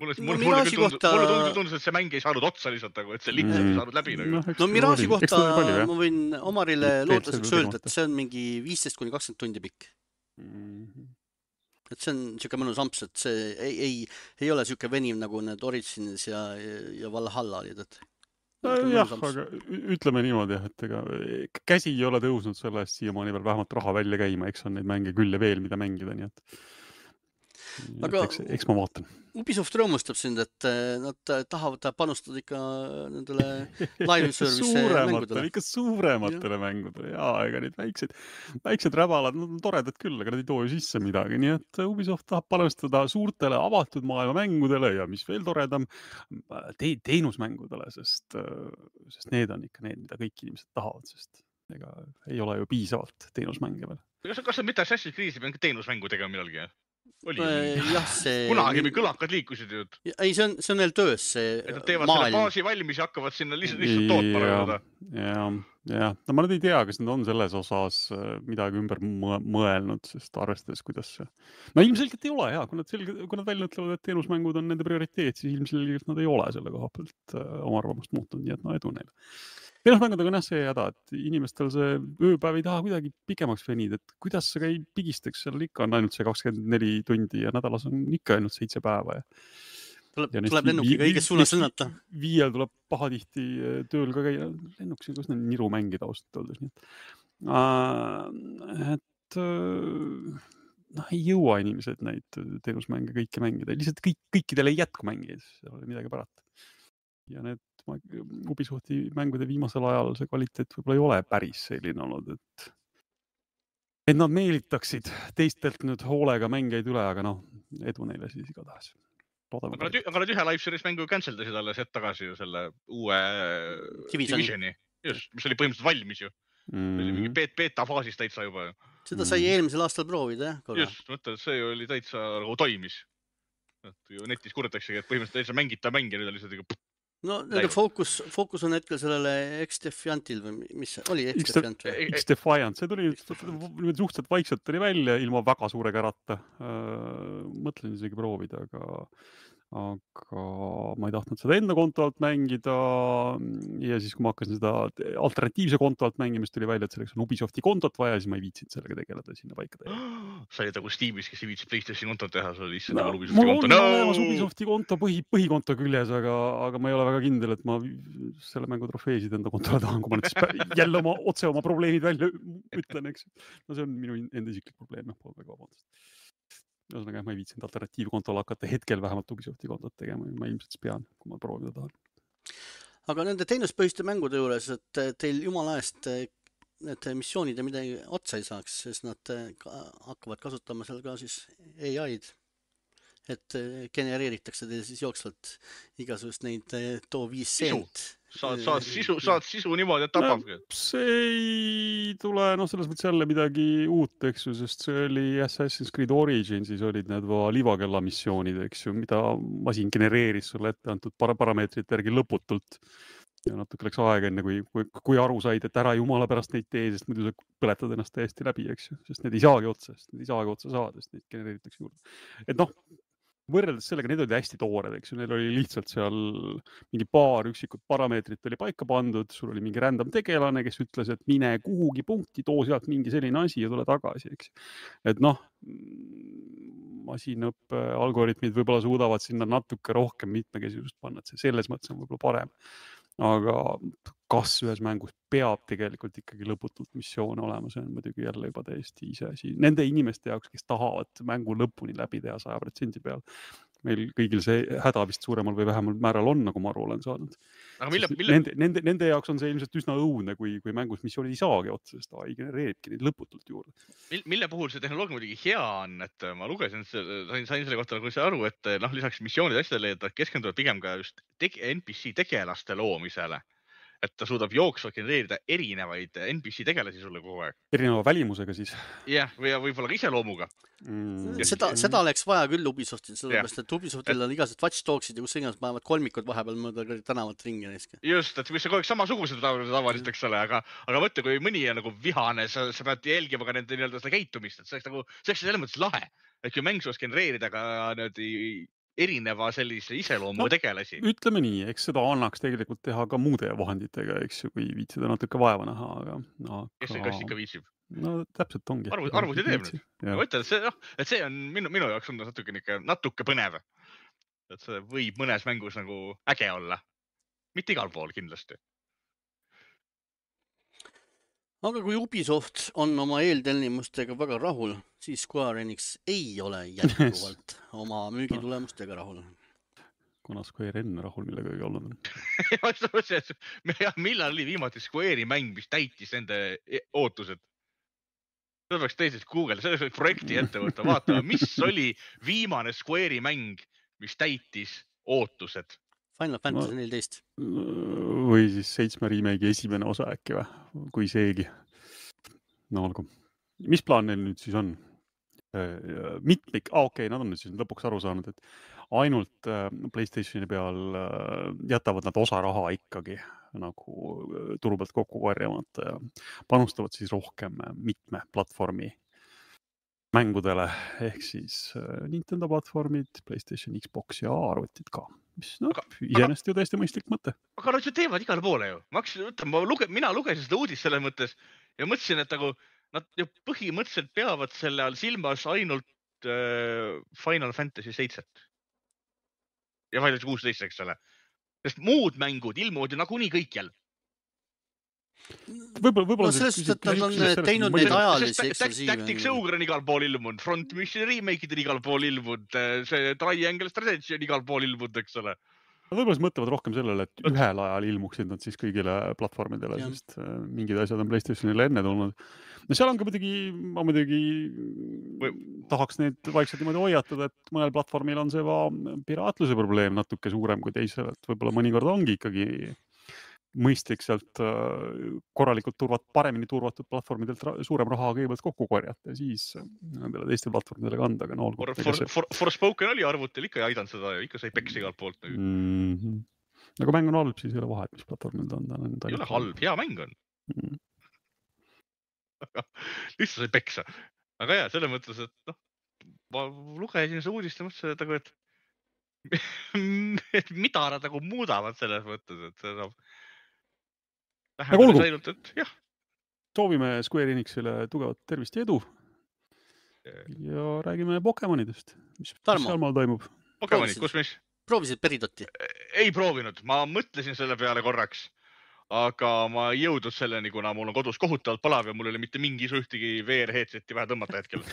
Mulle tundus, et see mäng ei saanud otsa lihtsalt, et see lihtsalt ei saanud läbi. No Mirage'i kohta ma võin Omarile lootuseks öelda, et see on mingi 15-20 tundi pikk. Et see on siuke mõnus amps, et see ei ole siuke veniv nagu need Origins ja Valhalla olid, et jah, aga ütleme niimoodi, et ega käsi ei ole tõusnud selle eest siiamaani veel vähemalt raha välja käima, eks on neid mänge küll ja veel, mida mängida, nii et eks ma vaatan. Ubisoft rõõmustab sind, et nad tahavad panustada ikka nendele live service mängudele. Ikka suurematele mängudele. Jaa, ega need väiksed räbalad, nad on toredad küll, aga nad ei too ju sisse midagi. Nii et Ubisoft tahab panustada suurtele avatud maailma mängudele ja mis veel toredam, teenusmängudele, sest need on ikka need, mida kõik inimesed tahavad, sest ega ei ole ju piisavalt teenusmänge veel. Kas on mitte Assassin's Creed'i pean teenusmängu tegema millalgi? See... Kunagi me kõlakad liikusid ju. Ei, see on neil töös see et nad teevad selle baasi valmis ja hakkavad sinna lihtsalt tootma. Ja. No ma nüüd ei tea, kas nad on selles osas midagi ümber mõelnud, sest arvestades, kuidas see... No ilmselgelt ei ole, jah. Kui nad välja ütlevad, et teenusmängud on nende prioriteet, siis ilmselgelt nad ei ole selle koha pealt oma arvamust muutunud, nii et no edu neile. Teenusmängudega on jah see häda, et inimestel see ööpäev ei taha kuidagi pikemaks venida, et kuidas sa ei pigistaks, seal ikka on ainult see 24 tundi ja nädalas on ikka ainult 7 päeva. Tuleb lennukiga õiges suunas lennata. 5 tuleb pahatihti tööl ka käia. Lennuks on kus need niru mängida ausalt öeldes. Et ei jõua inimesed neid teenusmänge kõiki mängida. Lihtsalt kõikidel ei jätku mängida, seal oli midagi parata. Ja need Ubisofti mängude viimasel ajal see kvaliteet võib-olla ei ole päris selline olnud, et nad meelitaksid teistelt nüüd hoolega mängeid üle, aga edu neile siis igatahes. Aga nad ühe live series mängu canceldasid alles hetk tagasi ju selle uue Divisioni, just, mis oli põhimõtteliselt valmis ju. Oli mingi beta faasis täitsa juba. Seda sai eelmisel aastal proovida, jah? Just, mõtled, see oli täitsa nagu toimis. Netis kurdetakse, et põhimõtteliselt täitsa mängita mängi, nüüd on lihtsalt ikka... No nende fookus on hetkel sellele X-Defiantil või mis oli X-Defiant või? X-Defiant, see tuli suhteliselt vaikselt tuli välja ilma väga suure kärata. Mõtlen isegi proovida, aga ma ei tahtnud seda enda konto alt mängida ja siis, kui ma hakkasin seda alternatiivse konto alt mängimist, tuli välja, et selleks on Ubisofti kontot vaja, siis ma ei viitsinud sellega tegeleda sinna paika teha. Sa olid nagu Steamis, kes ei viitsi PlayStation kontot teha, sa olid issand nagu Ubisofti konto. Mul on olemas Ubisofti konto põhikonto küljes, aga ma ei ole väga kindel, et ma selle mängu trofeesid enda kontole tahan, kui ma nüüd jälle otse oma probleemid välja ütlen, eks. No see on minu enda isiklik probleem, pool väga vabandust. Ühesõnaga, ma ei viitsinud alternatiivkontol hakata hetkel vähemalt Ubisofti kontot tegema, ma ilmselt pean, kui ma proovida tahan. Aga nende teenuspõhiste mängude juures, et teil jumala eest need missioonid ja midagi otsa ei saaks, sest nad hakkavad kasutama seal ka siis AI-d, et genereeritakse teil siis jooksvalt igasugust neid too 5 sent. saad sisu niimoodi, et tapabki. See ei tule, selles mõttes jälle midagi uut, eks ju, sest see oli Assassin's Creed Originsis olid need livakella missioonid, eks ju, mida masin genereeris sulle ette antud parameetrite järgi lõputult. Ja natuke läks aega enne, kui aru said, et ära jumala pärast neid tee, sest muidu sa põletad ennast täiesti läbi, eks ju, sest need ei saagi otsa saada, sest neid genereeritakse juurde. Et võrreldes sellega, need olid hästi toored, eks ju, neil oli lihtsalt seal mingi paar üksikut parameetrit oli paika pandud, sul oli mingi random tegelane, kes ütles, et mine kuhugi punkti, too sealt mingi selline asi ja tule tagasi, eks. Et masinõppe algoritmid võib-olla suudavad sinna natuke rohkem mitmekesisust panna, et see selles mõttes on võib-olla parem. Aga kas ühes mängus peab tegelikult ikkagi lõputult missioone olema, see on muidugi jälle juba täiesti ise asi. Nende inimeste jaoks, kes tahavad mängu lõpuni läbi teha 100% peal. Meil kõigil see häda vist suuremal või vähemal määral on, nagu ma aru olen saanud. Nende jaoks on see ilmselt üsna õudne, kui mängus missioonid ei saagi otsa, sest AI genereeribki neid lõputult juurde. Mille puhul see tehnoloogia muidugi hea on, et ma lugesin, sain selle kohta nagu aru, et lisaks missioonide asjadele, et keskenduvad pigem ka just NPC tegelaste loomisele. Et ta suudab jooksvalt genereerida erinevaid NPC tegelasi sulle kogu aeg. Erineva välimusega siis? Jah, või võib-olla ka iseloomuga. Seda oleks vaja küll Ubisoftil, sellepärast, et Ubisoftil on igased Watch Dogsid ja kus iganes panevad kolmikud vahepeal mööda tänavat ringi näiske. Just, et mis kogu aeg samasugused tavaliselt, eks ole, aga mõtle, kui mõni on nagu vihane, sa pead jälgima ka nende nii-öelda seda käitumist, et see oleks selles mõttes lahe, et kui mäng suus genereerida ka erineva sellise iseloomu tegelasi. Ütleme nii, eks seda annaks tegelikult teha ka muude vahenditega, eks ju, kui viitsida natuke vaeva näha, aga... Kes ikka viitsib? No täpselt ongi. Arvuti teeb nüüd. Ma ütlen, et see on minu jaoks on natuke põnev. Et see võib mõnes mängus nagu äge olla. Mitte igal pool kindlasti. Aga kui Ubisoft on oma eeltellimustega väga rahul, siis Square Enix ei ole jätkuvalt oma müügitulemustega rahul. Kuna Square enne rahul millega ei olnud. Millal oli viimati Square'i mäng, mis täitis nende ootused? Seda peaks teisest Google, selles võiks projekti ette võtta, vaatama, mis oli viimane Square'i mäng, mis täitis ootused. Final Fantasy 14. Või siis 7 remake'i esimene osa äkki või, kui seegi. No olgu. Mis plaan neil nüüd siis on? Mitmik, okei, nad on nüüd siis lõpuks aru saanud, et ainult PlayStationi peal jätavad nad osa raha ikkagi nagu turu pealt kokku korjamata ja panustavad siis rohkem mitme platvormi mängudele, ehk siis Nintendo platvormid, PlayStation, Xbox ja arvutid ka. Mis iseenesest ju täiesti mõistlik mõte. Aga nad ju teevad igale poole ju. Mina lugesin seda uudist selles mõttes ja mõtlesin, et nad ju põhimõtteliselt peavad selle all silmas ainult Final Fantasy 7. Ja Final Fantasy 16, eks ole. Sest muud mängud ilmuvad ju nagunii kõikjal. Võib-olla sellest, et nad on teinud neid ajalisi eksklusiive. Tactics Ogre on igal pool ilmunud, Front Mission remake'id on igal pool ilmunud, see Triangle Strategy on igal pool ilmunud, eks ole. Võib-olla siis mõtlevad rohkem sellele, et ühel ajal ilmuksid nad siis kõigile platvormidele, sest mingid asjad on PlayStationile enne tulnud. No seal on ka muidugi tahaks neid vaikselt niimoodi hoiatada, et mõnel platvormil on see piraatluse probleem natuke suurem kui teisel, et võib-olla mõnikord ongi ikkagi mõistlik sealt korralikult paremini turvatud platvormidelt suurem raha kõigepealt kokku korjata ja siis nendele teiste platvormidele kanda. Aga no, Forspoken oli arvutil, ikka ei aidanud seda ja ikka sai peksa igalt poolt. Aga mäng on halb, siis ei ole vahet, mis platvormid on. Ei ole halb, hea mäng on. Lihtsalt sai peksa. Aga jah, selle mõttes, et ma lugesin see uudist ja mõtlesin, et mida nad nagu muudavad selles mõttes, et see saab vähem et jah. Soovime Square Enixile tugevat tervist ja edu. Ja räägime Pokemonidest. Mis seal maal toimub? Pokemonid, kus mis? Proovisid Peridotti? Ei proovinud. Ma mõtlesin selle peale korraks, aga ma ei jõudnud selleni, kuna mul on kodus kohutavalt palav ja mul ei ole mitte mingi ühtegi VR-headsetti vaja tõmmata hetkel.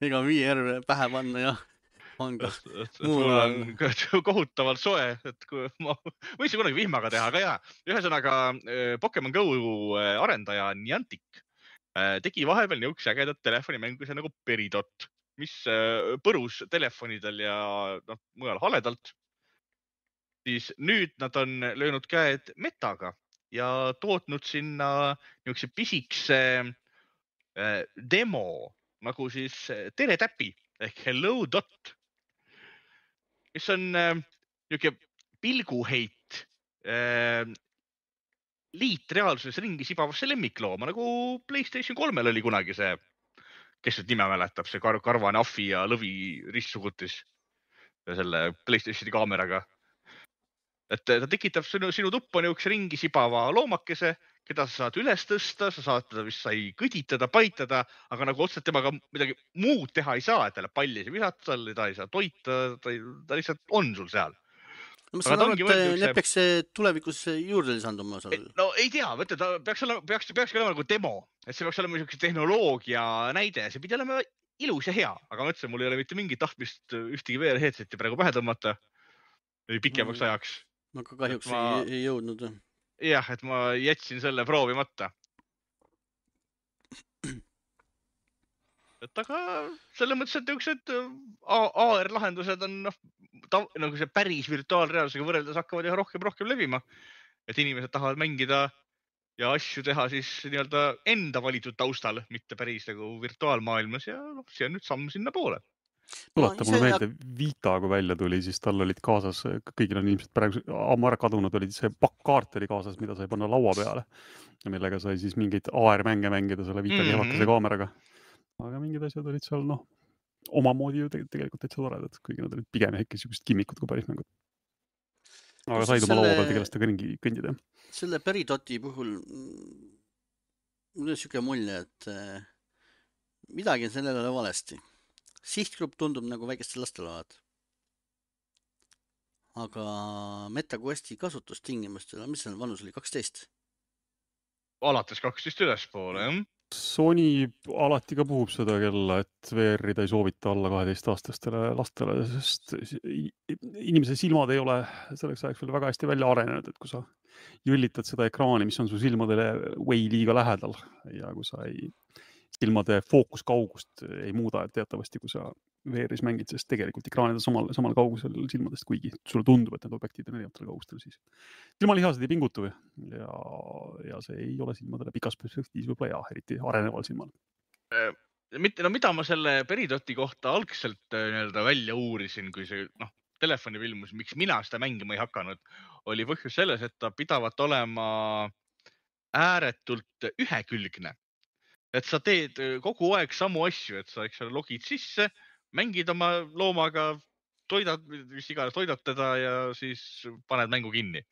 Ega VR pähe panna, jah. Mul on kohutavalt soe, et kui ma võisin kunagi vihmaga teha, aga jah, ühesõnaga Pokemon Go arendaja Niantic tegi vahepeal niisuguse ägedat telefonimängu nagu Peridot, mis põrus telefonidel ja mujal haledalt. siis nüüd nad on löönud käed Metaga ja tootnud sinna niisuguse pisikese demo nagu siis teletäpi ehk Hello Dot, mis on niisugune pilguheit liitreaalsuses ringi sibavasse lemmiklooma, nagu PlayStation 3-l oli kunagi see, kes nüüd nime mäletab, see karvane ahvi ja lõvi ristsugutis ja selle PlayStationi kaameraga. Et ta tekitab sinu tuppa niisuguse ringi sibava loomakese, keda sa saad üles tõsta, sa saad teda vist sai kõditada, paitada, aga nagu otseselt temaga midagi muud teha ei saa, et talle palli ei visata, ta ei saa toita, ta lihtsalt on sul seal. No, ma saan aru, et need peaks tulevikus juurde lisanduma. No ei tea, mõtle, ta peaks olema nagu demo, et see peaks olema niisuguse tehnoloogia näide, see pidi olema ilus ja hea, aga mõtlesin, mul ei ole mitte mingit tahtmist ühtegi VR-headseti praegu pähe tõmmata pikemaks ajaks. No ka kahjuks ei jõudnud. Jah, et ma jätsin selle proovimata. Et aga selle mõttes, et niisugused AR-lahendused on nagu see päris virtuaalreaalsusega võrreldes hakkavad üha rohkem levima. Et inimesed tahavad mängida ja asju teha siis nii-öelda enda valitud taustal, mitte päris nagu virtuaalmaailmas ja see on nüüd samm sinna poole. Tuleta mulle meelde, Vita, kui välja tuli, siis tal olid kaasas, kõigil on ilmselt praegu ammu ära kadunud, olid see pakkkaart oli kaasas, mida sai panna laua peale ja millega sai siis mingeid AR-mänge mängida selle Vita kehvakese kaameraga. Aga mingid asjad olid seal omamoodi ju tegelikult täitsa toredad, kuigi nad olid pigem ikka sellised kimmikud kui päris mängud. Aga said oma laua peal tegelast ka ringi kõndida. Selle Peridoti puhul mul on siuke mulje, et midagi on sellele valesti. Sihtgrupp tundub nagu väikestel lastel olevat. Aga MetaQuesti kasutustingimustele, mis see vanus oli, 12? Alates 12 ülespoole, jah. Sony alati ka puhub seda kella, et VR-ida ei soovita alla 12-aastastele lastele, sest inimese silmad ei ole selleks ajaks veel väga hästi välja arenenud, et kui sa jõllitad seda ekraani, mis on su silmadele way liiga lähedal ja kui sa silmade fookuskaugust ei muuda, et teatavasti, kui sa VR-is mängid, sest tegelikult ekraanid on samal kaugusel silmadest, kuigi sulle tundub, et need objektid on erinevatel kaugustel, siis silmalihased ei pingutu ja see ei ole silmadele pikas perspektiivis võib-olla hea, eriti areneval silmal. Mida ma selle Peridoti kohta algselt välja uurisin, kui see telefoni filmus, miks mina seda mängima ei hakanud, oli põhjus selles, et ta pidavat olema ääretult ühekülgne. Et sa teed kogu aeg samu asju, et sa logid sisse, mängid oma loomaga, toidad teda ja siis paned mängu kinni.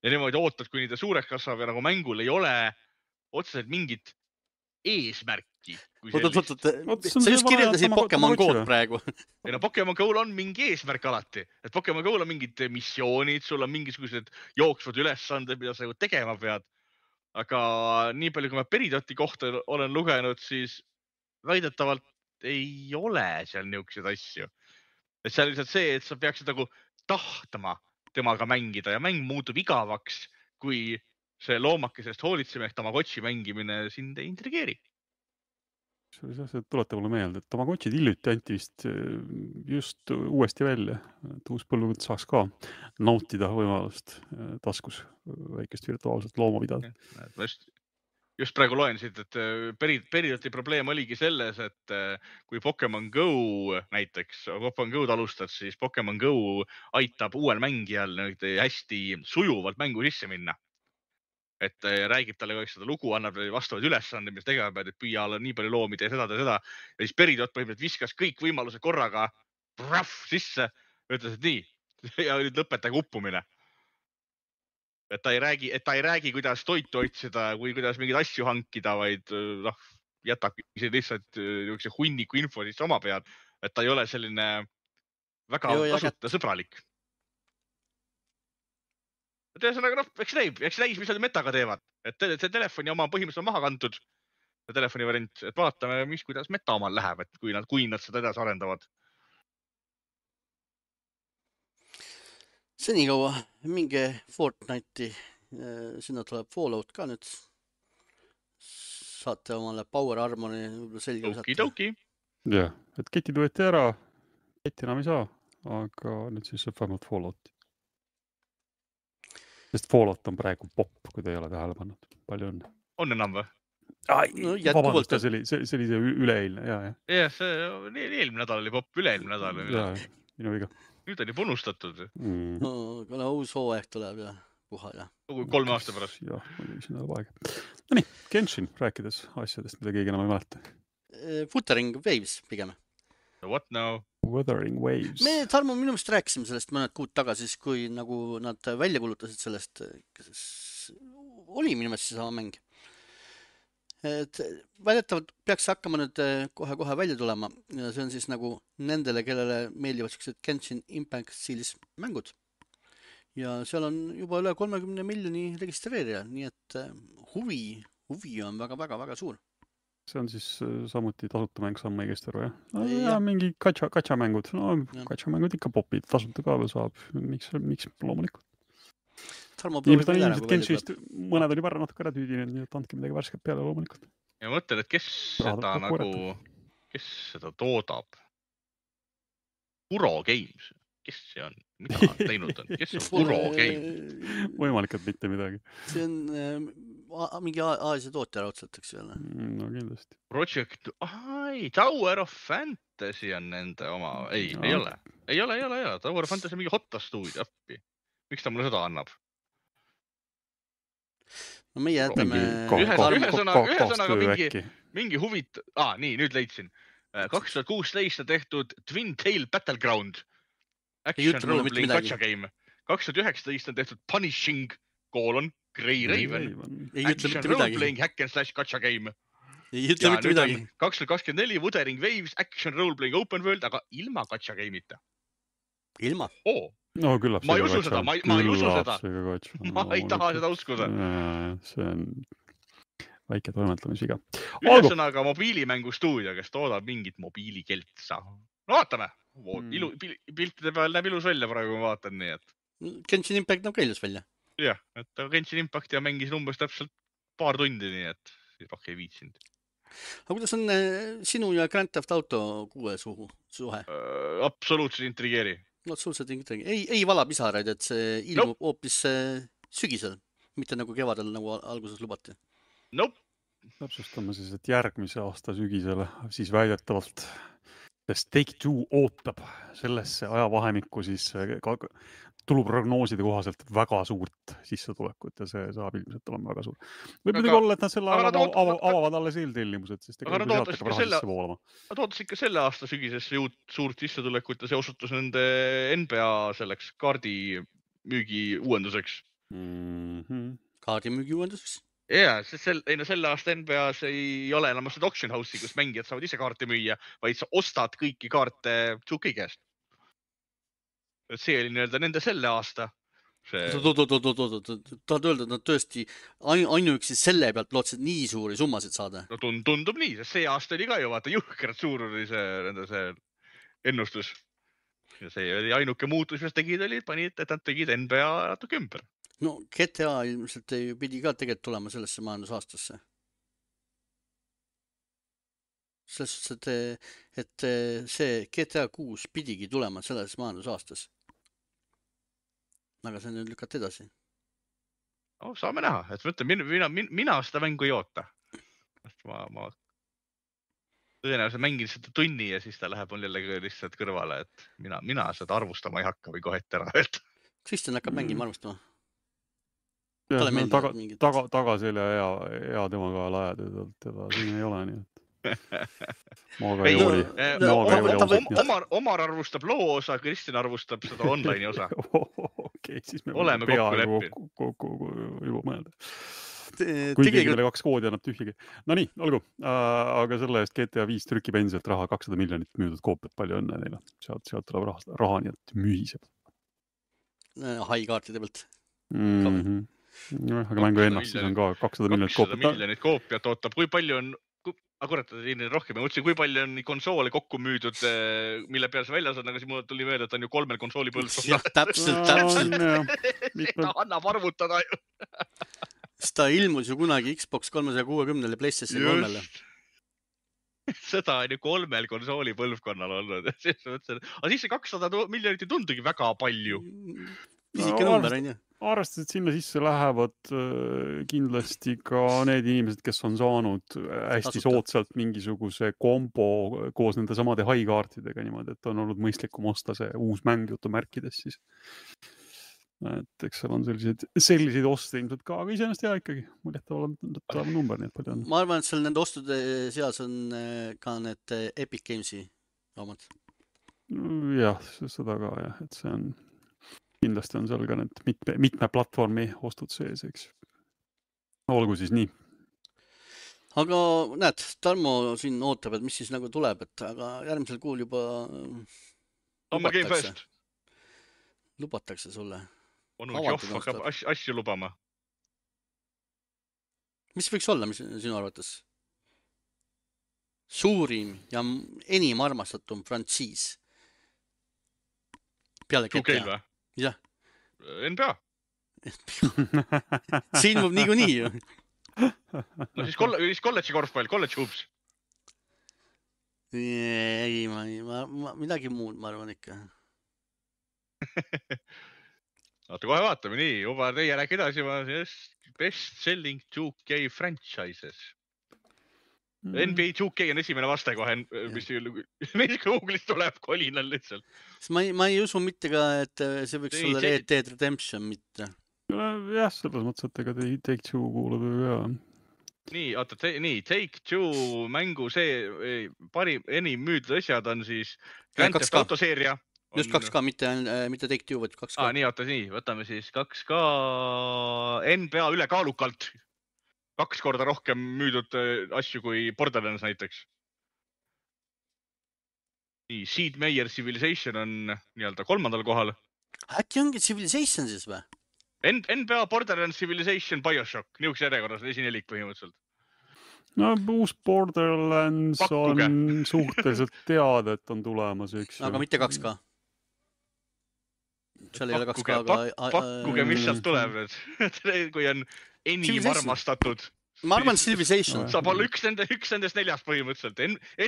Ja niimoodi ootad, kuni ta suureks kasvab ja nagu mängul ei ole otseselt mingit eesmärki. Sa just kirjeldasid Pokemon Go'd praegu. Ja Pokemon Go'l on mingi eesmärk alati. Et Pokemon Go'l on mingid missioonid, sul on mingisugused jooksvad ülesanded, mida sa tegema pead. Aga nii palju, kui ma Peridoti kohta olen lugenud, siis väidetavalt ei ole seal niisuguseid asju. Et see on lihtsalt see, et sa peaksid nagu tahtma temaga mängida ja mäng muutub igavaks, kui see loomakesest hoolitseme ehk Tamagotchi mängimine sind ei intrigeeri. See tuleta mulle meelde, et Tamagotchid hiljuti anti vist just uuesti välja, et uus põlvkond saaks ka nautida võimalust taskus väikest virtuaalset looma pidada. Just praegu loen siit, et Peridoti probleem oligi selles, et kui Pokemon Go näiteks, Pokemon Go'd alustad, siis Pokemon Go aitab uuel mängijal hästi sujuvalt mängu sisse minna. Et räägib talle kõik seda lugu, annab vastavad ülesanded, mis tegema pead, et püüa alla nii palju loomi, tee seda. Ja siis Peridot põhimõtteliselt viskas kõik võimalused korraga sisse, ütles, et nii, ja nüüd lõpetage uppumine. Et ta ei räägi, kuidas toitu otsida või kuidas mingeid asju hankida, vaid jätab lihtsalt hunniku info sisse oma pead, et ta ei ole selline väga kasutajasõbralik. Et ühesõnaga, eks näis, mis nad Metaga teevad. Et see telefoni oma põhimõtteliselt on maha kantud, see telefoni variant, et vaatame, kuidas Meta omal läheb, et kui nad seda edasi arendavad. Senikaua minge Fortnite'i, sinna tuleb Fallout ka nüüd. Saate omale Power Armori selge Okidoki. Jah, et ketid võeti ära, keti enam ei saa, aga nüüd siis saab vähemalt Fallouti. Sest Fallout on praegu popp, kui te ei ole tähele pannud. Palju õnne. On enam või? Vabandust, see oli see üleeilne, jah. Jah, see eelmine nädal oli popp, üleeilmine nädal. Minu viga. Nüüd on juba unustatud. Kuna uus hooaeg tuleb ja puha ja. 3 aasta pärast. Jah, muidugi siin tuleb aeg. No nii, Genshin rääkides asjadest, mida keegi enam ei mäleta. Wuthering Waves pigem. What now? Wuthering Waves. Me, Tarmo, minu meelest rääkisime sellest mõned kuud tagasi, kui nagu nad välja kulutasid sellest, oli minu meelest see sama mäng. Et väidetavalt peaks hakkama nüüd kohe välja tulema ja see on siis nagu nendele, kellele meeldivad sellised Genshin Impact stiilis mängud. Ja seal on juba üle 30 miljoni registreerija, nii et huvi on väga suur. See on siis samuti tasuta mäng, saan ma õigesti aru, jah? Ja mingi katša mängud. No, katša mängud ikka popid, tasuta ka veel saab. Miks loomulikult? Inimesed Genshist, mõned oli varra natuke ära tüüdinud, nii et andke midagi värsket peale loomulikult. Ja mõtlen, et kes seda toodab? Kuro Games. Kes see on? Mida on teinud on? Kes on Kuro Games? Võimalik, et mitte midagi. See on mingi Aasia tootja raudselt, eks jälle. No kindlasti. Project, Tower of Fantasy on nende oma. Ei ole. Tower of Fantasy on mingi Hotta stuudio appi. Miks ta mulle seda annab? No meie jätame... Ühesõnaga mingi huvit... nii, nüüd leidsin. 2016 tehtud Twin Tail Battleground. Action role-playing gacha game. 2019 on tehtud Punishing : Grey Raven. Action role-playing hack and slash gacha game. Ei ütle mitte midagi. 2024 Wuthering Waves Action role-playing open world, aga ilma gacha game'ita. Ilma? No küllap ma ei usu seda, ma ei usu seda. Ma ei taha seda uskuda. See on väike toimetamisviga. Ühesõnaga mobiilimängu stuudio, kes toodab mingit mobiilikeltsa. No vaatame. Piltide peal näeb ilus välja praegu, ma vaatan nii, et... Genshin Impact näeb ka ilus välja. Jah, et Genshin Impact ja mängis umbes täpselt paar tundi, nii et rohkem ei viitsinud. Aga kuidas on sinu ja Grand Theft Auto 6 suhe? Absoluutselt intrigeeri. No, absoluutselt intrigeeri. Ei vala pisaraid, et see ilmub hoopis sügisel, mitte nagu kevadel, nagu alguses lubati. Täpsustame siis, et järgmise aasta sügisel siis väidetavalt Take-Two ootab sellesse ajavahemikku siis tuluprognooside kohaselt väga suurt sissetulekut ja see saab ilmselt olema väga suur. Võib muidugi olla, et nad selle avavad alles eeltellimused, sest aga nad ootas ikka selle aasta sügises suurt sissetulekut ja see osutus nende NBA selleks kaardi müügi uuenduseks. Kaardi müügi uuenduseks? Jaa, selle aasta NBA-s ei ole enam seda auction house'i, kus mängijad saavad ise kaarte müüa, vaid sa ostad kõiki kaarte 2K käest. See oli nende selle aasta. Tahad öelda, et nad tõesti ainuüksi selle pealt lootsid nii suuri summasid saada? No tundub nii, sest see aasta oli ka ju vaata jõhkralt suur oli see ennustus. Ja see oli ainuke muutus, mis tegid oli, et nad tegid NBA natuke ümber. No GTA ilmselt pidi ka tegelikult tulema sellesse majandusaastasse. Selles suhtes, et see GTA 6 pidigi tulema selles majandusaastas. Aga see nüüd lükati edasi. Saame näha, et mina seda mängu ei oota. Ma tõenäoliselt mängin seda tunni ja siis ta läheb mul jälle lihtsalt kõrvale, et mina seda arvustama ei hakka või kohe ette ära öelda. Kristjan hakkab mängima arvustama. Tagaselja hea temaga lajad, teda siin ei ole nii, et maaga ei oli. Omar arvustab loo osa, Kristjan arvustab seda online'i osa. Okei, siis me oleme kokku juba mõelda. Kui keegi meile 2 koodi annab tühjagi. No nii, olgu. Aga selle eest GTA 5 trükib endiselt raha 200 miljonit müüdud koopiat, palju õnne neile. Sealt tuleb raha, nii et mühiseb. Hai-kaartide pealt. Aga mängu ennast siis on ka 200 miljonit koopiat. 200 miljonit koopiat ootab. Kui palju on, rohkem, ma mõtlesin, kui palju on konsoole kokku müüdud, mille peal see väljas on, aga siis mul tuli meelde, et on ju 3 konsooli põlvkonnal. Jah, täpselt. Ta annab arvutada ju. Ta ilmus ju kunagi Xbox 360 ja PlayStation 3-le. Seda on ju 3 konsooli põlvkonnal olnud. Aga siis see 200 miljonit ei tundugi väga palju. Pisike number on ju. arvestades, et sinna sisse lähevad kindlasti ka need inimesed, kes on saanud hästi Tasuta. soodsalt mingisuguse kombo koos nende samade high-kaartidega niimoodi, et on olnud mõistlikum osta see uus mäng jutumärkides siis. Et eks seal on selliseid oste ilmselt ka, aga iseenesest hea ikkagi, muljetav number, nii et palju on. ma arvan, et seal nende ostude seas on ka need Epic Games'i omad. Jah, seda ka jah, et see on, kindlasti on seal ka need mitme platvormi ostud sees, eks. Olgu siis nii. Aga näed, Tarmo siin ootab, et mis siis nagu tuleb, et aga järgmisel kuul juba Summer Game Fest. Lubatakse sulle. Onu Johv hakkab asju lubama. Mis võiks olla sinu arvates? Suurim ja enim armastatum frantsiis. Peale GTA. Või? Jah. NBA. See ilmub niikuinii ju. No siis kolledži korvpall, kolledži hoops. Ei, midagi muud, ma arvan ikka. Oota, kohe vaatame, nii, juba teie rääk edasi, best selling 2K franchises. NBA 2K on esimene vaste kohe, mis Google'is tuleb kolinal lihtsalt. Ma ei usu mitte ka, et see võiks olla Red Dead Redemption mitte. Jah, selles mõttes, et ega Take-Two kuulub ju ka. Nii, oota, Take-Two mängu see enim müüdud asjad on siis Grand Theft Auto seeria. Just 2K, mitte Take-Two, vaid 2K. Nii, oota, nii, võtame siis 2K NBA ülekaalukalt 2 korda rohkem müüdud asju kui Borderlands näiteks. Nii, Sid Meier Civilization on nii-öelda 3. kohal. Äkki ongi Civilization siis või? NBA, Borderlands, Civilization, BioShock. Niisuguse järjekorras esinelik põhimõtteliselt. No uus Borderlands on suhteliselt teada, et on tulemas, eks. Aga mitte 2K. Seal ei ole 2K. Pakkuge, mis sealt tuleb nüüd. Kui on enim armastatud. Ma arvan Civilization. Saab olla üks nendest 4 põhimõtteliselt.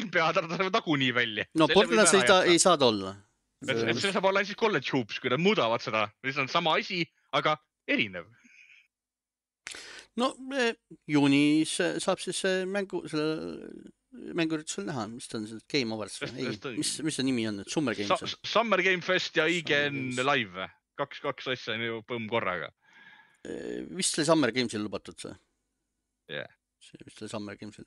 NBA tarvitavad tagunii välja. No Borderlands ei saada olla. See saab olla siis college hoops, kui nad muudavad seda. See on sama asi, aga erinev. No juunis saab siis mänguüritusel näha, mis ta on see Game Awards või? Mis see nimi on? Summer Games? Summer Game Fest ja IGN Live. 2 asja on ju põmm korraga. Vist oli Summer Gamesil lubatud see? Jah. See vist oli Summer Gamesil.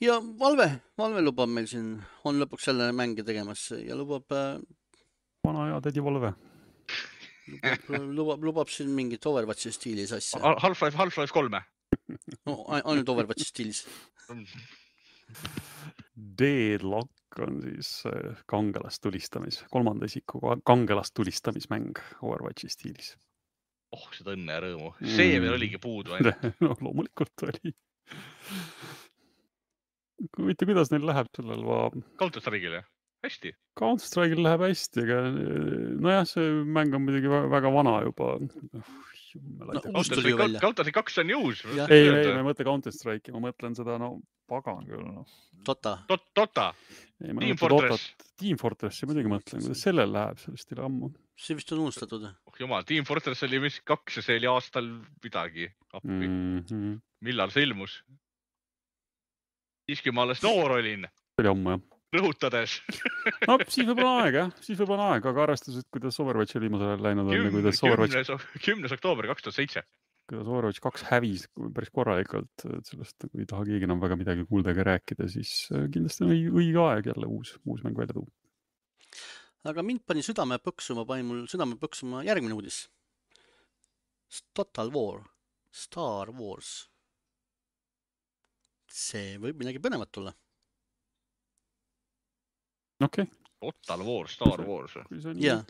Ja Valve lubab meil siin, on lõpuks selle mänge tegemas ja lubab... Vana hea tädi Valve. Lubab siin mingit Overwatchi stiilis asja. Half-Life 3. No, ainult Overwatchi stiilis. Deadlock on siis kolmanda isiku kangelastulistamismäng Overwatchi stiilis. Oh, seda õnne ja rõõmu. See veel oligi puudu. No loomulikult oli. Mitte kuidas neil läheb sellel Counter-Strike'il, jah? Hästi. Counter-Strike'il läheb hästi, aga nojah, see mäng on muidugi väga vana juba. Counter-Strike 2 on ju uus. Ei, ma ei mõtle Counter-Strike'i, ma mõtlen seda, pagan küll. Dota. Team Fortress. Team Fortressi muidugi mõtlen, kuidas sellel läheb, sellest ei ole ammu. See vist on unustatud. Oh jumal, Team Fortress oli vist 2 ja see oli aastal midagi. Millal see ilmus? Siiski ma alles noor olin. See oli ammu, jah. Rõhutades. No, siis võib olla aeg, aga arvestused, kuidas Overwatch oli viimasel ajal läinud on. 10. oktoober 2007. Kuidas Overwatch 2 hävis päris korralikult, sellest ei taha keegi enam väga midagi kuulda ega rääkida, siis kindlasti on õige aeg jälle uus mäng välja tuua. Aga mind pani mul südame põksuma järgmine uudis. Total War. Star Wars. See võib midagi põnevat tulla. Okei. Total War, Star Wars. Jah.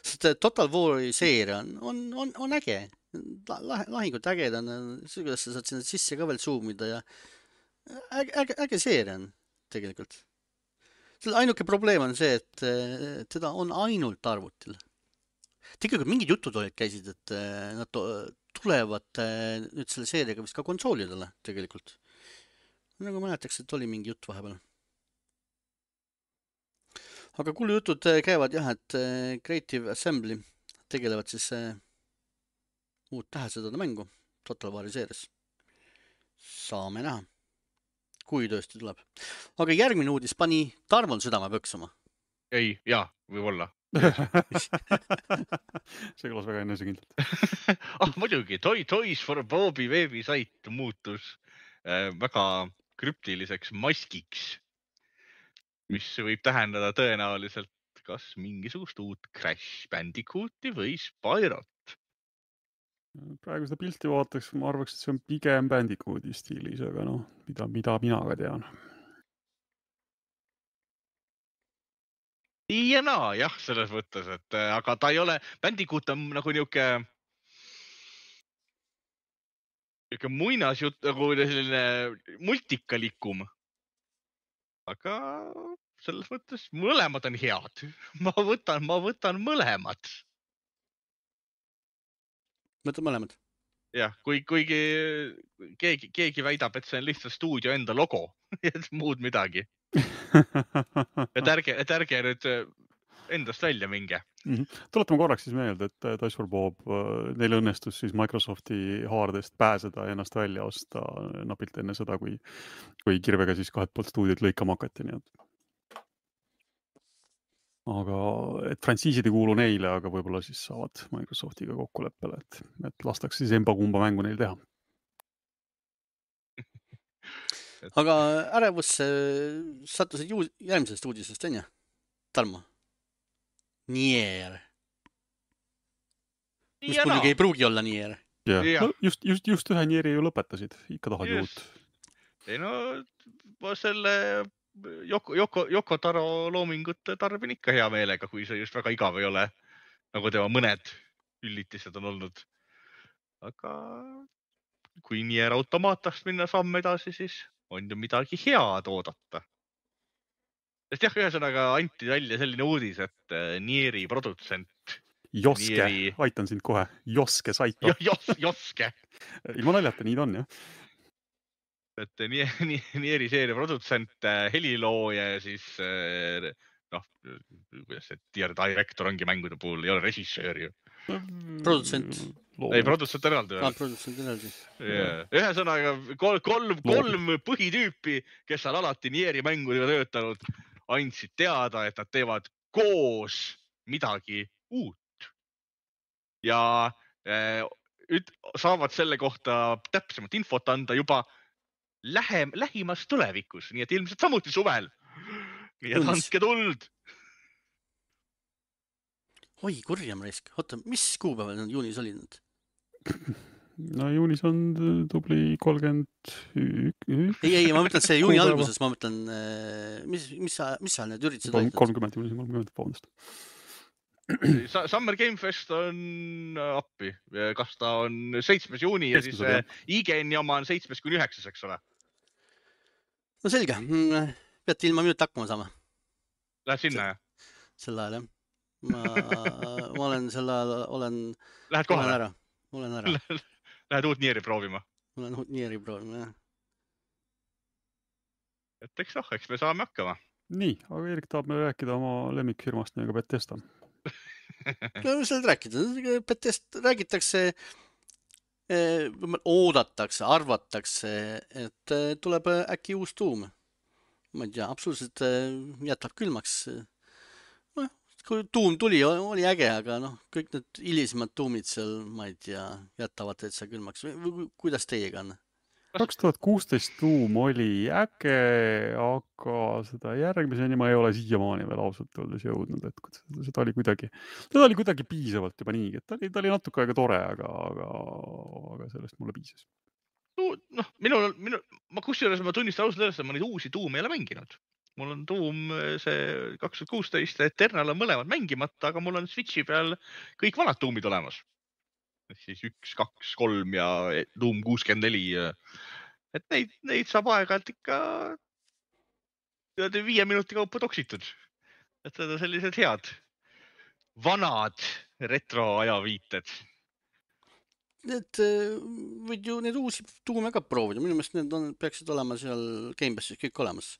Sest Total War'i seeria on äge. Lahingud äged on. Kuidas sa saad sinna sisse ka veel zoomida ja äge seeria on tegelikult. Selle ainuke probleem on see, et teda on ainult arvutil. Tegelikult mingid jutud käisid, et nad tulevad nüüd selle seeriaga vist ka konsoolidele tegelikult. Nagu mäletaks, et oli mingi jutt vahepeal. Aga kuulujutud käivad jah, et Creative Assembly tegelevad siis uut tähesõdade mängu Total War'i seeres. Saame näha, kui tõesti tuleb. Aga järgmine uudis pani Tarmol südame pöksuma. Ei, jaa, võib-olla. see kõlas väga enesekindlalt. Muidugi, Toys for Bobi veebisait muutus väga krüptiliseks maskiks, mis võib tähendada tõenäoliselt kas mingisugust uut Crash Bandicooti või Spyrot. Praegu seda pilti vaataks, ma arvaks, et see on pigem Bandicooti stiilis, aga noh, mida mina ka tean. Ja naa, jah, selles mõttes, et aga ta ei ole, Bandicoot on nagu niuke muinasjutt, nagu selline multikalikum. Aga selles mõttes mõlemad on head. Ma võtan mõlemad. Mõtled mõlemad? Jah, kuigi keegi väidab, et see on lihtsalt stuudio enda logo, et muud midagi. Et ärge nüüd endast välja minge. Tuletame korraks siis meelde, et Toys for Bob, neil õnnestus siis Microsofti haardest pääseda ja ennast välja osta napilt enne seda, kui kirvega siis kahelt poolt stuudiot lõikama hakati. Nii et. Aga et frantsiisid ei kuulu neile, aga võib-olla siis saavad Microsoftiga kokkuleppele, et lastakse siis emba-kumba mängu neil teha. Aga ärevusse sattusid järgmisest uudisest, on ju? Tarmo? Nier. Mis muidugi ei pruugi olla Nier. Ja. No, just ühe Nieri ju lõpetasid, ikka tahad juut. Ei no, ma selle Yoko Taro loomingut tarbin ikka hea meelega, kui see just väga igav ei ole, nagu tema mõned üllitised on olnud. Aga kui Nier automaatast minna samm edasi, siis on ju midagi head oodata. Sest jah, ühesõnaga anti välja selline uudis, et Nieri produtsent Joske, aitan sind kohe. Joske Saito. Joske. Ilma naljata, nii ta on, jah. Et Nieri seeria produtsent, helilooja ja siis noh, kuidas see tier director ongi mängude puhul, ei ole režissöör ju. Produtsent. Ei, produtsent eraldi. Produtsent eraldi. Ühesõnaga, kolm põhitüüpi, kes on alati Nieri mängudega töötanud, andsid teada, et nad teevad koos midagi uut. Ja saavad selle kohta täpsemat infot anda juba lähimas tulevikus, nii et ilmselt samuti suvel. Nii et andke tuld. Oi, kurjam raisk. Oota, mis kuupäeval nad juunis olid nad? No juunis on tubli 31. Ei, ma mõtlen see juuni alguses, ma mõtlen, mis sa need üritused olid? 30 juuni, 30, vabandust. Summer Game Fest on appi. Kas ta on 7. juuni ja siis IGN-i oma on 7-9, eks ole? No selge. Peate ilma minuti hakkama saama. Lähed sinna, jah? Sel ajal, jah. Ma olen sel ajal, Lähed kohale? Olen ära. Lähed uut Nieri proovima? Olen uut Nieri proovima, jah. Et eks me saame hakkama. Nii, aga Erik tahab me rääkida oma lemmikfirmast nagu Bethesda. Mis seal rääkida? Bethesda räägitakse, oodatakse, arvatakse, et tuleb äkki uus tuum. Ma ei tea, absoluutselt jätab külmaks. Kui tuum tuli, oli äge, aga kõik need hilisemad tuumid seal, ma ei tea, jätavad täitsa külmaks. Kuidas teiega on? 2016 tuum oli äge, aga seda järgmiseni ma ei ole siiamaani veel ausalt öeldes jõudnud, et seda oli kuidagi piisavalt juba niigi, et ta oli natuke aega tore, aga sellest mulle piisas. Ma kusjuures ma tunnistan ausalt öeldes, et ma neid uusi tuume ei ole mänginud. Mul on tuum see 2016, Eternal on mõlemad mängimata, aga mul on Switchi peal kõik vanad tuumid olemas. Siis 1, 2, 3 ja tuum 64. Et neid saab aeg-ajalt ikka 5 minuti kaupa toksitud. Et seda sellised head vanad retroajaviited. Need võid ju need uusi tuume ka proovida. Minu meelest need peaksid olema seal Game Passis kõik olemas.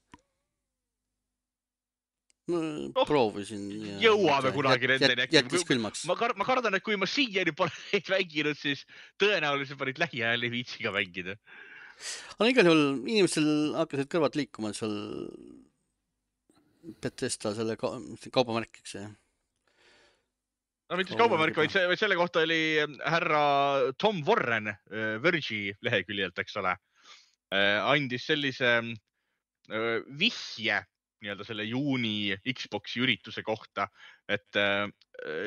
proovisin. Jõuame kunagi nendeni. Jättis külmaks. Ma kardan, et kui ma siiani pole neid mänginud, siis tõenäoliselt ma neid lähiajal ei viitsi ka mängida. Aga igal juhul inimestel hakkasid kõrvad liikuma seal Bethesda selle kaubamärkiks. No mitte kaubamärk, vaid selle kohta oli härra Tom Warren Verge'i leheküljelt, eks ole, andis sellise vihje nii-öelda selle juuni Xbox'i ürituse kohta, et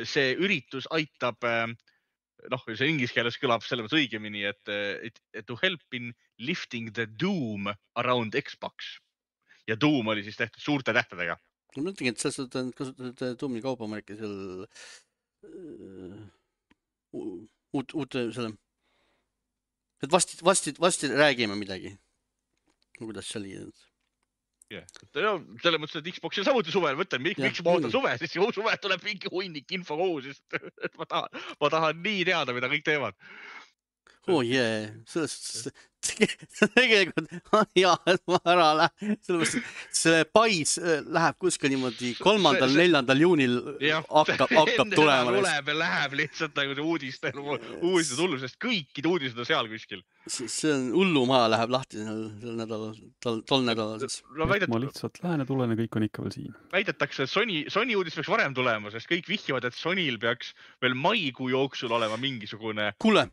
see üritus aitab, see inglise keeles kõlab selles õigemini, et to help in lifting the doom around Xbox. Ja doom oli siis tehtud suurte tähtedega. Ma mõtlengi, et sa kasutad Doomi kaubamärki seal uute selle, et vasti räägime midagi. Kuidas see oli? Selles mõttes, et Xboxil samuti suvel, mõtlen, miks ma ootan suve, siis suve tuleb mingi hunnik info kogu, sest ma tahan nii teada, mida kõik teevad. Tegelikult on hea, et ma ära lähen. See pais läheb kuskil niimoodi 3.-4. juunil hakkab tulema. Tuleb ja läheb lihtsalt nagu see uudiste tullu, sest kõikid uudised on seal kuskil. See on hullumaa läheb lahti tol nädalal. Ma lihtsalt lähen ja tulen ja kõik on ikka veel siin. Väidetakse, et Sony uudis peaks varem tulema, sest kõik vihjavad, et Sonyl peaks veel maikuu jooksul olema mingisugune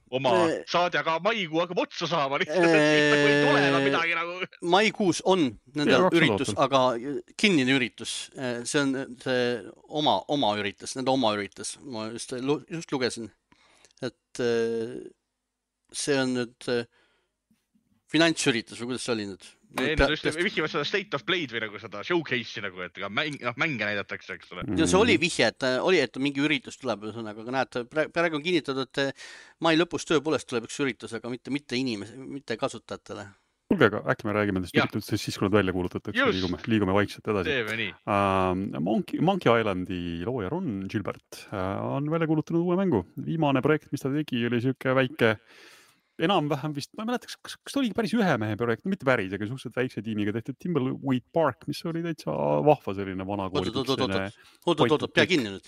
oma saade, aga maikuu hakkab otsa saama lihtsalt, et ei tule enam midagi nagu. Maikuus on nende üritus, aga kinnine üritus. See on see oma üritus, nende oma üritus. Ma just lugesin, et see on nüüd finantsüritus või kuidas see oli nüüd? Nad just vihjivad seda State of Play'd või nagu seda showcase'i nagu, et mänge näidatakse, eks ole. Ja see oli vihje, et mingi üritus tuleb, aga näed, praegu on kinnitatud, et mai lõpus tõepoolest tuleb üks üritus, aga mitte kasutajatele. Kuulge, aga äkki me räägime nendest üritustest siis, kui nad välja kuulutatakse, liigume vaikselt edasi. Monkey Islandi looja Ron Gilbert on välja kuulutanud uue mängu. Viimane projekt, mis ta tegi, oli siuke väike enam-vähem vist, ma ei mäleta, kas ta oli päris ühe mehe projekt, mitte päris, aga suhteliselt väikse tiimiga tehtud Timbleweed Park, mis oli täitsa vahva selline vana kooli. Oot, pea kinni nüüd.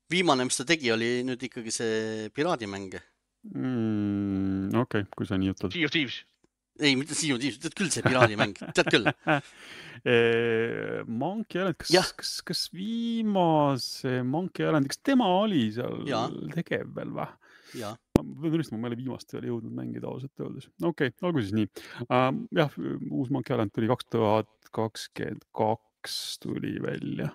Viimane, mis ta tegi, oli nüüd ikkagi see piraadimäng. Okei, kui sa nii ütled. Sea of Thieves. Ei, mitte Sea of Thieves, tead küll see piraadimäng, tead küll. Monkey Island, kas viimase Monkey Island, kas tema oli seal tegev veel või? Jaa. Ma tunnistama, ma ei ole viimast veel jõudnud mängida ausalt öeldes. Okei, olgu siis nii. Jah, uus Monkey Island tuli 2022 tuli välja.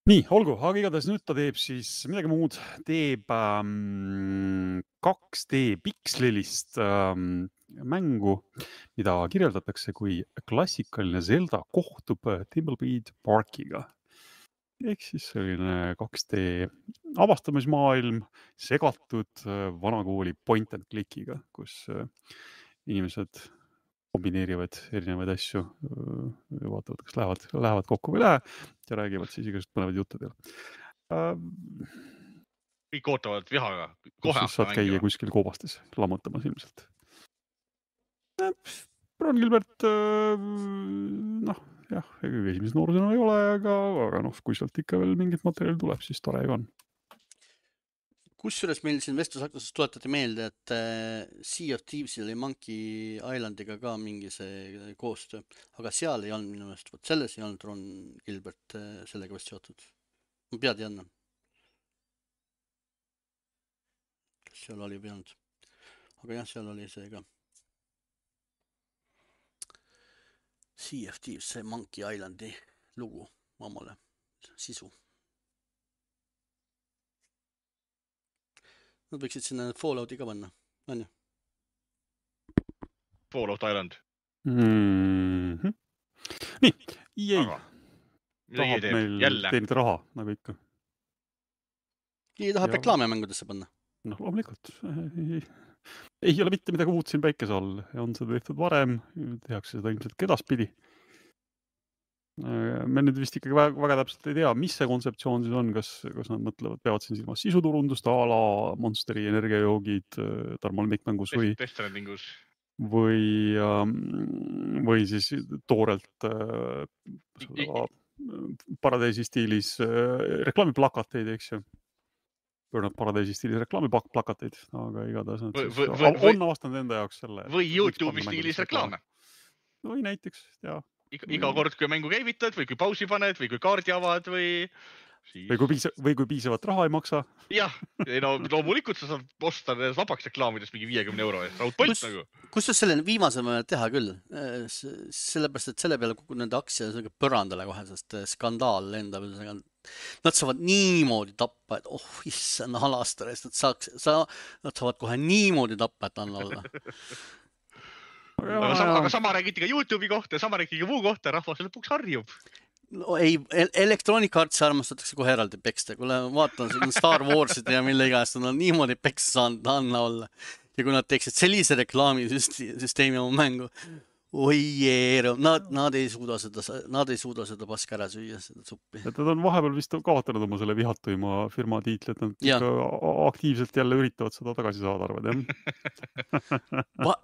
Nii, olgu, aga igatahes nüüd ta teeb siis midagi muud. Teeb 2D pikslilist mängu, mida kirjeldatakse kui klassikaline Zelda kohtub Timbleweed Parkiga. Ehk siis selline 2D avastamismaailm segatud vanakooli point and clickiga, kus inimesed kombineerivad erinevaid asju, vaatavad, kas lähevad kokku või lähe ja räägivad siis igasugust põnevad juttudel. Kõik ootavad vihaga. Kus saad käia kuskil koobastes lammutamas ilmselt. Ron Gilbert, jah, esimese noorusena ei ole, aga kui sealt ikka veel mingit materjali tuleb, siis tore ju on. Kusjuures meil siin vestlusaktuses tuletati meelde, et Sea of Thievesil oli Monkey Islandiga ka mingi see koostöö, aga seal ei olnud minu meelest, selles ei olnud Ron Gilbert sellega vist seotud. Ma pead ei anna. Kas seal oli või olnud? Aga jah, seal oli see ka. Sea of Thieves, see Monkey Islandi lugu omale, sisu. Nad võiksid sinna Fallouti ka panna, on ju? Fallout Island. Nii, EA tahab meil teenida raha, nagu ikka. EA tahab reklaamimängudesse panna. Loomulikult. Ei ole mitte midagi uut siin päikese all. On seda tehtud varem, tehakse seda ilmselt edaspidi. Me nüüd vist ikkagi väga täpselt ei tea, mis see kontseptsioon siis on, kas nad mõtlevad, peavad siin silmas sisuturundust, ala Monsteri energiajoogid, Tarmo Lemmikmängus või... Death Strandingus. või siis toorelt Paradeisi stiilis reklaamiplakateid, eks ju. Paradeisi stiilis reklaamiplakateid, aga igatahes on avastanud enda jaoks selle. Või YouTube'i stiilis reklaame. Või näiteks, jah. Iga kord, kui mängu käivitad või kui pausi paned või kui kaardi avad või kui piisavat raha ei maksa. Jah, no loomulikult sa saad osta vabaks reklaamidest mingi 50 euro eest. Raudpolt nagu. Kusjuures selle viimase võime teha küll. Sellepärast, et selle peale kogu nende aktsia põrandale kohe, sest skandaal lendab. Nad saavad niimoodi tappa, et issand halastar, et nad saavad kohe niimoodi tappa, et anna olla. Aga sama räägiti ka YouTube'i kohta ja sama räägiti ka muu kohta, rahvas lõpuks harjub. No ei, Electronic Artsi armastatakse kohe eraldi peksta. Kui vaatan Star Warsid ja mille iganes, nad on niimoodi peksa saanud anna olla. Ja kui nad teeksid sellise reklaamisüsteemi oma mängu, nad ei suuda seda paska ära süüa, seda suppi. Nad on vahepeal vist kaotanud oma selle vihatuima firma tiitli, et nad aktiivselt jälle üritavad seda tagasi saada, arvad, jah?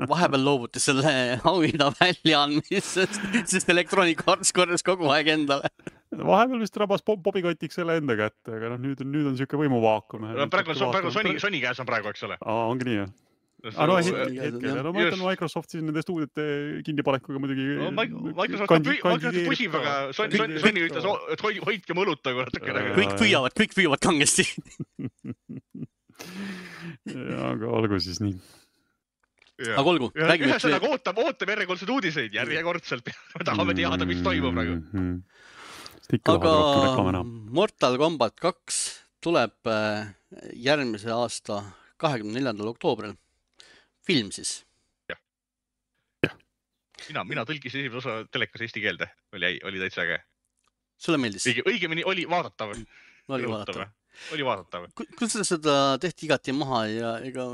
Vahepeal loobuti selle auhinna väljaandmisest, sest Electronic Arts korras kogu aeg endale. Vahepeal vist rabas Bobikotiks selle enda kätte, aga nüüd on siuke võimuvaakum. Praegu Sony käes on praegu, eks ole? Ongi nii, jah. No hetkel, ma ütlen Microsoft siis nende stuudiote kinnipanekuga muidugi. Microsoft pusib, aga Sony ütles, et hoidke mõluta. Kõik püüavad kangesti. Aga olgu siis nii. Aga olgu, räägime. Ühesõnaga ootame järjekordseid uudiseid, järjekordselt. Me tahame teada, mis toimub praegu. Aga Mortal Kombat 2 tuleb järgmise aasta 24. oktoobril. Film siis. Jah. Mina tõlkisin esimese osa telekas eesti keelde. Oli täitsa äge. Sulle meeldis? Õigemini oli vaadatav. Oli vaadatav. Kuidas seda tehti igati maha ja ega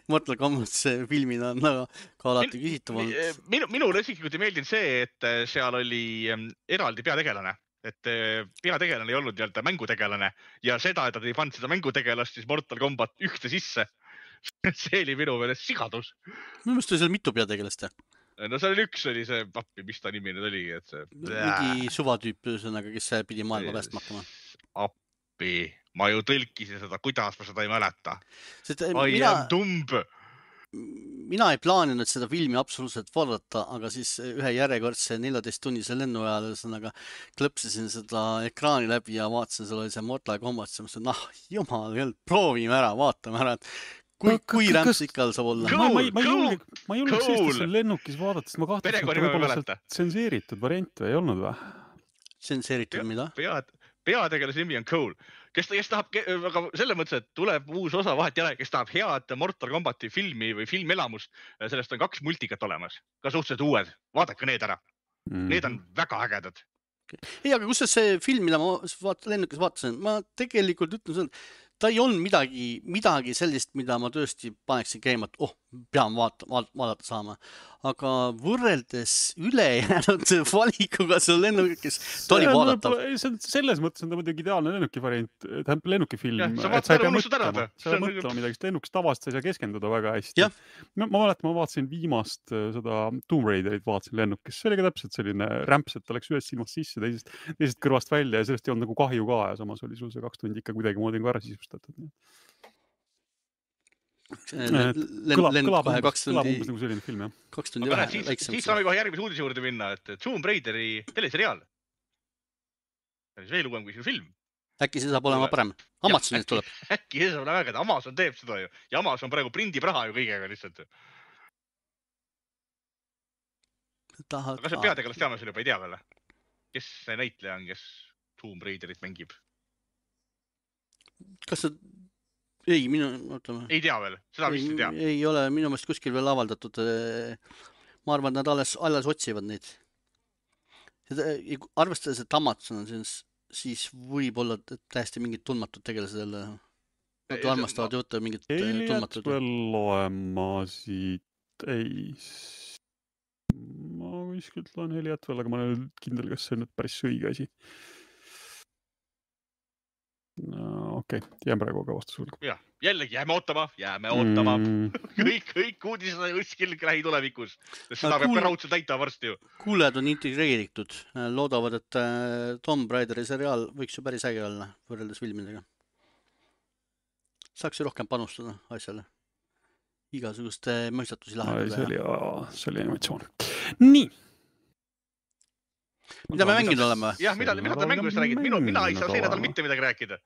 Mortal Kombat filmina on ka alati küsitav olnud? Minule isiklikult ei meeldinud see, et seal oli eraldi peategelane. Et peategelane ei olnud mängutegelane ja seda, et nad ei pannud seda mängutegelast siis Mortal Kombat ühte sisse. See oli minu meelest sigadus. Minu meelest oli seal mitu peategelast, jah? No seal üks oli see pappi, mis ta nimi nüüd oligi. Mingi suvatüüp, kes pidi maailma päästma hakkama. Appi, ma ju tõlkisin seda, kuidas ma seda ei mäleta. Mina ei plaaninud seda filmi absoluutselt vaadata, aga siis ühe järjekordse 14-tunnise lennu ajal klõpsisin seda ekraani läbi ja vaatasin, seal oli see Mortal Kombat, ja mõtlesin, jumal, proovime ära, vaatame ära, et kui rämpsikal saab olla. Ma ei julgeks Eestis lennukis vaadata, sest ma kahtlasin, et võib-olla tsenseeritud variant või ei olnud või? Tsenseeritud mida? Peategelase nimi on Cole, kes tahab, aga selle mõttes, et tuleb uus osa vahet jälle, kes tahab head Mortal Kombati filmi või filmelamust, sellest on 2 multikat olemas, ka suhteliselt uued, vaadake need ära. Need on väga ägedad. Ei, aga kus see film, mida ma lennukis vaatasin, ma tegelikult ütlen seda, ta ei olnud midagi sellist, mida ma tõesti paneksin käima, et pean vaadata saama. Aga võrreldes ülejäänud valikuga see lennukis, ta oli vaadatav. Selles mõttes on ta muidugi ideaalne lennukifilm. Sa ei mõtlema midagi, sest lennukis tavaliselt ei saa keskenduda väga hästi. Ma mäletan, ma vaatasin viimast seda Tomb Raiderit, vaatasin lennukis. See oli ka täpselt selline rämps, et ta läks ühest silmast sisse, teisest kõrvast välja ja sellest ei olnud nagu kahju ka ja samas oli sul see 2 tundi ikka kuidagi moodi ära sisustatud. Kõlab umbes nagu selline film, jah. 2 tundi vähem. Siis saame kohe järgmise uudise juurde minna, et Tomb Raideri teleseriaal. See on veel uuem kui see film. Äkki see saab olema parem. Amazonist tuleb. Äkki see saab olema väga, et Amazon teeb seda ju. Ja Amazon praegu prindib raha ju kõigega lihtsalt. Aga see peategelast teame selle juba ei tea veel. Kes see näitleja on, kes Tomb Raiderit mängib? Kas see... Ei, ei tea veel, seda vist ei tea. Ei ole minu meelest kuskil veel avaldatud. Ma arvan, et nad alles otsivad neid. Arvestades, et Amazon on siis võib olla täiesti mingid tundmatud tegelased jälle. Nad armastavad võtta mingid tundmatud. Veel loema siit ei... Ma kuskilt loen Heliat veel, aga ma olen kindel, kas see on nüüd päris õige asi. Okei, jään praegu ka vastus hulga. Jah, jällegi jääme ootama. Kõik uudised on kuskil lähitulevikus. Seda peab ka raudselt täita varsti ju. Kuulajad on integreeritud. Loodavad, et Tomb Raideri seriaal võiks ju päris äge olla võrreldes filmidega. Saaks ju rohkem panustada asjale. Igasuguste mõistatusi lahendada. See oli animatsioon. Nii. Mida me mänginud oleme? Jah, mida te mängust räägid? Mina ei saa see nädal mitte midagi rääkida.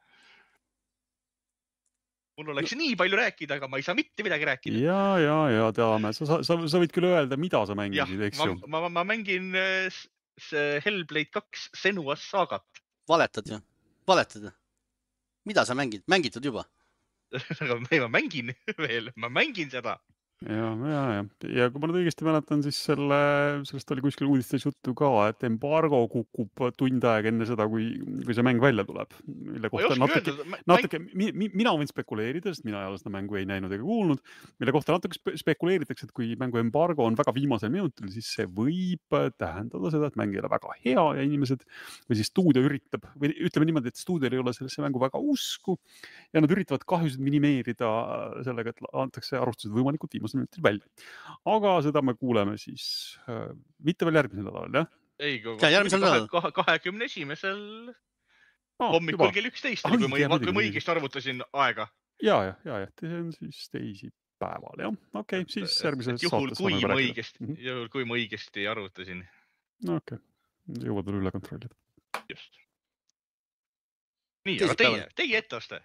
Mul oleks nii palju rääkida, aga ma ei saa mitte midagi rääkida. Ja teame. Sa võid küll öelda, mida sa mängisid, eks ju? Ma mängin Hellblade 2 Senua's Sagat. Valetad ju? Valetad? Mida sa mängid? Mängitud juba? Ma mängin veel, ma mängin seda. Ja kui ma nüüd õigesti mäletan, siis sellest oli kuskil uudistes juttu ka, et embargo kukub tund aega enne seda, kui see mäng välja tuleb. Mille kohta natuke, mina võin spekuleerida, sest mina ei ole seda mängu ei näinud ega kuulnud, mille kohta natuke spekuleeritakse, et kui mängu embargo on väga viimasel minutil, siis see võib tähendada seda, et mäng ei ole väga hea ja inimesed või siis stuudio üritab, või ütleme niimoodi, et stuudio ei ole sellesse mängu väga usku ja nad üritavad kahjusid minimeerida sellega, et antakse arvustused võimalikult viimasel minutil välja. Aga seda me kuuleme siis mitte veel järgmisel nädalal, jah? Ei, järgmisel nädalal. 21. hommikul kell 11, kui ma õigesti arvutasin aega. Ja, see on siis teisipäeval, jah. Okei, siis järgmises saates juhul, kui ma õigesti arvutasin. Okei, jõuad veel üle kontrollida. Just. Nii, aga teie etteaste?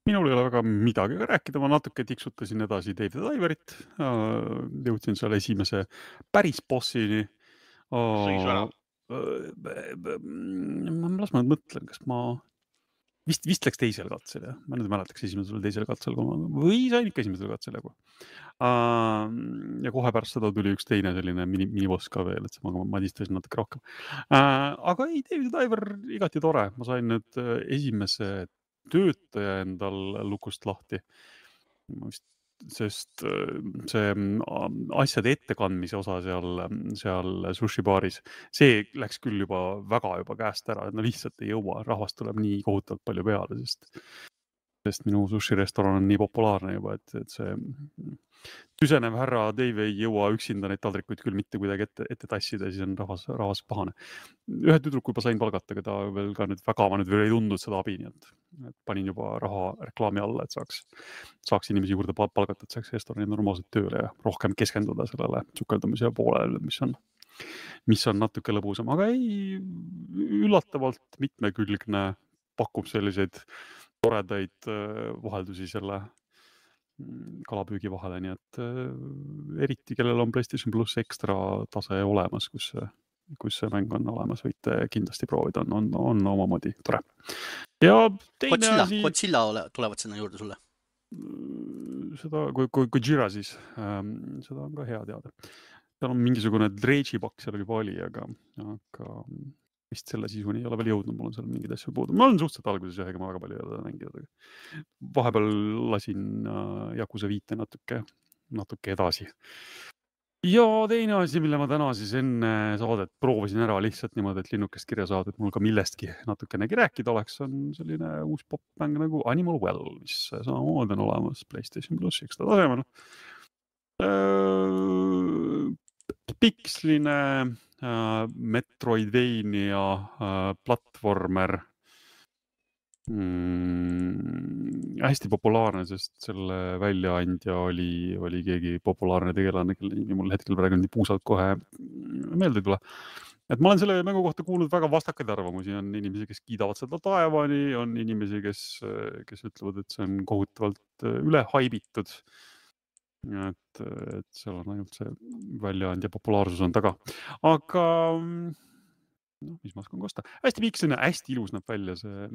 Minul ei ole väga midagi rääkida, ma natuke tiksutasin edasi Dave the Diverit, jõudsin seal esimese päris bossini. Sõisu ära? Las ma mõtlen, kas ma vist läks teisel katsel, jah? Ma nüüd mäletaks esimesel või teisel katsel, või sain ikka esimesel katsel jagu. Ja kohe pärast seda tuli üks teine selline miniboss ka veel, et ma madistasin natuke rohkem. Aga ei, Dave the Diver igati tore, ma sain nüüd esimese töötaja endal lukust lahti, sest see asjade ettekandmise osa seal sushi baaris, see läks küll väga käest ära, et no lihtsalt ei jõua, rahvast tuleb nii kohutavalt palju peale, sest minu sushi-restoran on nii populaarne juba, et see tüsenev härra Dave ei jõua üksinda neid taldrikuid küll mitte kuidagi ette tassida, siis on rahvas pahane. Ühe tüdruku juba sain palgata, aga ta veel ka nüüd väga ei tundnud seda abi, nii et panin juba raha reklaami alla, et saaks inimesi juurde palgata, et saaks restorani normaalselt tööle ja rohkem keskenduda sellele sukeldumise poolele, mis on natuke lõbusam, aga ei, üllatavalt mitmekülgne, pakub selliseid toredaid vaheldusi selle kalapüügi vahele, nii et eriti, kellel on PlayStation Plus ekstra tase olemas, kus see mäng on olemas, võite kindlasti proovida, on omamoodi tore. Ja teine asi... Godzilla tulevad sinna juurde sulle? Seda, kui Jira siis, seda on ka hea teada. Seal on mingisugune Dredge'i-pakk seal juba oli, aga vist selle sisuni ei ole veel jõudnud, mul on seal mingid asju puudu. Ma olen suhteliselt alguses ega ma väga palju ei ole mänginud. Vahepeal lasin Yakuza 5 natuke edasi. Ja teine asi, mille ma täna siis enne saadet proovisin ära lihtsalt niimoodi, et linnukest kirja saada, et mul ka millestki natukenegi rääkida oleks, on selline uus popmäng nagu Animal Well, mis samamoodi on olemas PlayStation Plus ekstra tasemel. Piksline Metroidvania platvormer. Hästi populaarne, sest selle väljaandja oli keegi populaarne tegelane, kelle nimi mul hetkel praegu nii puusalt kohe meelde ei tule. Et ma olen selle mängu kohta kuulnud väga vastakaid arvamusi. On inimesi, kes kiidavad seda taevani, on inimesi, kes ütlevad, et see on kohutavalt üle haibitud. Et seal on ainult see väljaandja populaarsus on taga. Aga mis ma oskan kosta? Hästi piksline, hästi ilus näeb välja see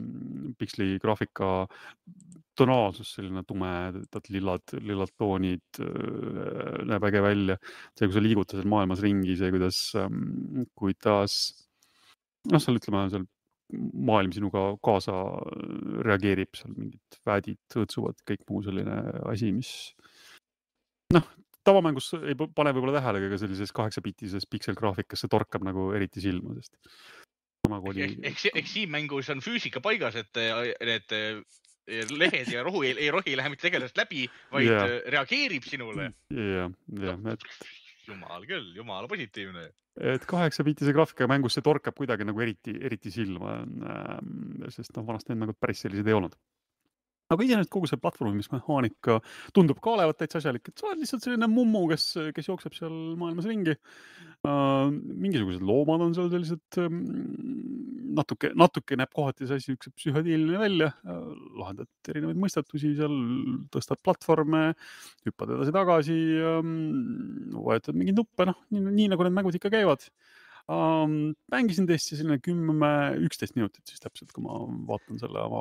piksli graafika tonaalsus, selline tumedad lillad toonid näeb äge välja. See, kui sa liigutad seal maailmas ringi, see, kuidas seal ütleme, seal maailm sinuga kaasa reageerib, seal mingid väedid õõtsuvad, kõik muu selline asi, mis tavamängus ei pane võib-olla tähele, aga sellises 8-bitises pikselgraafikas see torkab nagu eriti silma, sest Eks siin mängus on füüsika paigas, et need lehed ja rohu ei rohi lähe mitte tegelasest läbi, vaid reageerib sinule. Jumal küll, jumala positiivne. Et 8-biitise graafika mängus see torkab kuidagi nagu eriti silma, sest vanasti nagu päris sellised ei olnud. Aga iseenesest kogu see platvormimismehaanika tundub ka olevat täitsa asjalik, et sa oled lihtsalt selline mummu, kes jookseb seal maailmas ringi. Mingisugused loomad on seal sellised, natuke näeb kohati see asi üks psühhodiiline välja, lahendad erinevaid mõistatusi seal, tõstad platvorme, hüppad edasi-tagasi, vajutad mingeid nuppe, nii nagu need mängud ikka käivad. Mängisin tõesti selline 10-11 minutit siis täpselt, kui ma vaatan selle oma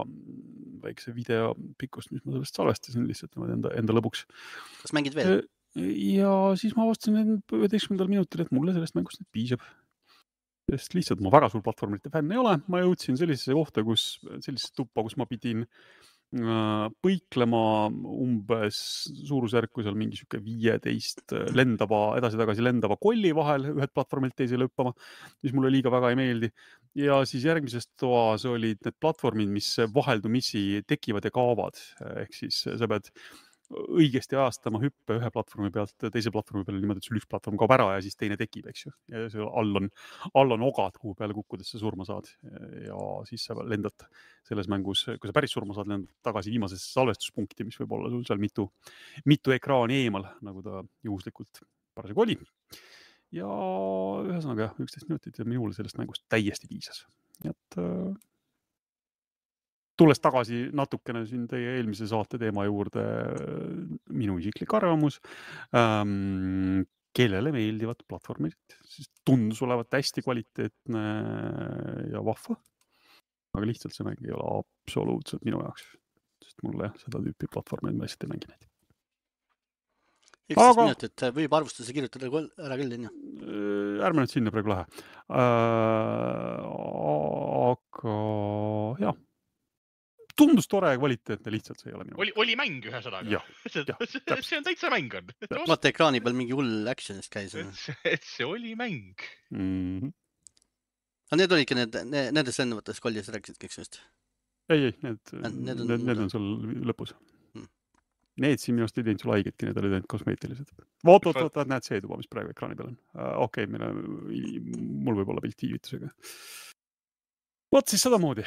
väikse video pikkust, mis ma sellest salvestasin lihtsalt enda lõbuks. Kas mängid veel? Ja siis ma avastasin 11. minutil, et mulle sellest mängust nüüd piisab. Sest lihtsalt ma väga suur platvormite fänn ei ole. Ma jõudsin sellisesse kohta, sellisesse tuppa, kus ma pidin põiklema umbes suurusjärku seal mingi 15 edasi-tagasi lendava kolli vahel ühed platvormilt teisele hüppama, mis mulle liiga väga ei meeldi. Ja siis järgmises toas olid need platvormid, mis vaheldumisi tekivad ja kaovad. Ehk siis sa pead õigesti ajastama hüppe ühe platvormi pealt teise platvormi peale niimoodi, et sul üks platvorm kaob ära ja siis teine tekib, eks ju. Ja see all on ogad, kuhu peale kukkudes sa surma saad. Ja siis sa lendad selles mängus, kui sa päris surma saad, lendad tagasi viimasesse salvestuspunkti, mis võib olla sul seal mitu ekraani eemal, nagu ta juhuslikult parasjagu oli. Ja ühesõnaga 11 minutit ja minule sellest mängust täiesti piisas. Et tulles tagasi natukene siin teie eelmise saate teema juurde, minu isiklik arvamus, kellele meeldivad platvormid, siis tundus olevat hästi kvaliteetne ja vahva, aga lihtsalt see mäng ei ole absoluutselt minu jaoks, sest mulle seda tüüpi platvormid ma lihtsalt ei mängi neid. 11 minutit võib arvustuse kirjutada ära küll, on ju? Ärme nüüd sinna praegu lähe. Aga jah. Tundus tore ja kvaliteetne, lihtsalt see ei ole minu. Oli mäng ühesõnaga. See on täitsa mäng on. Vaata ekraani peal mingi hull actionist käis. Et see oli mäng. Aga need olidki nendes lennuvates kollis rääkisid kõik just? Ei, need on sul lõpus. Need siin minust ei teinud sul haigetki, need olid ainult kosmeetilised. Vaat, näed see tuba, mis praegu ekraani peal on. Okei, mul võib olla pilt viivitusega. Vot siis seda moodi.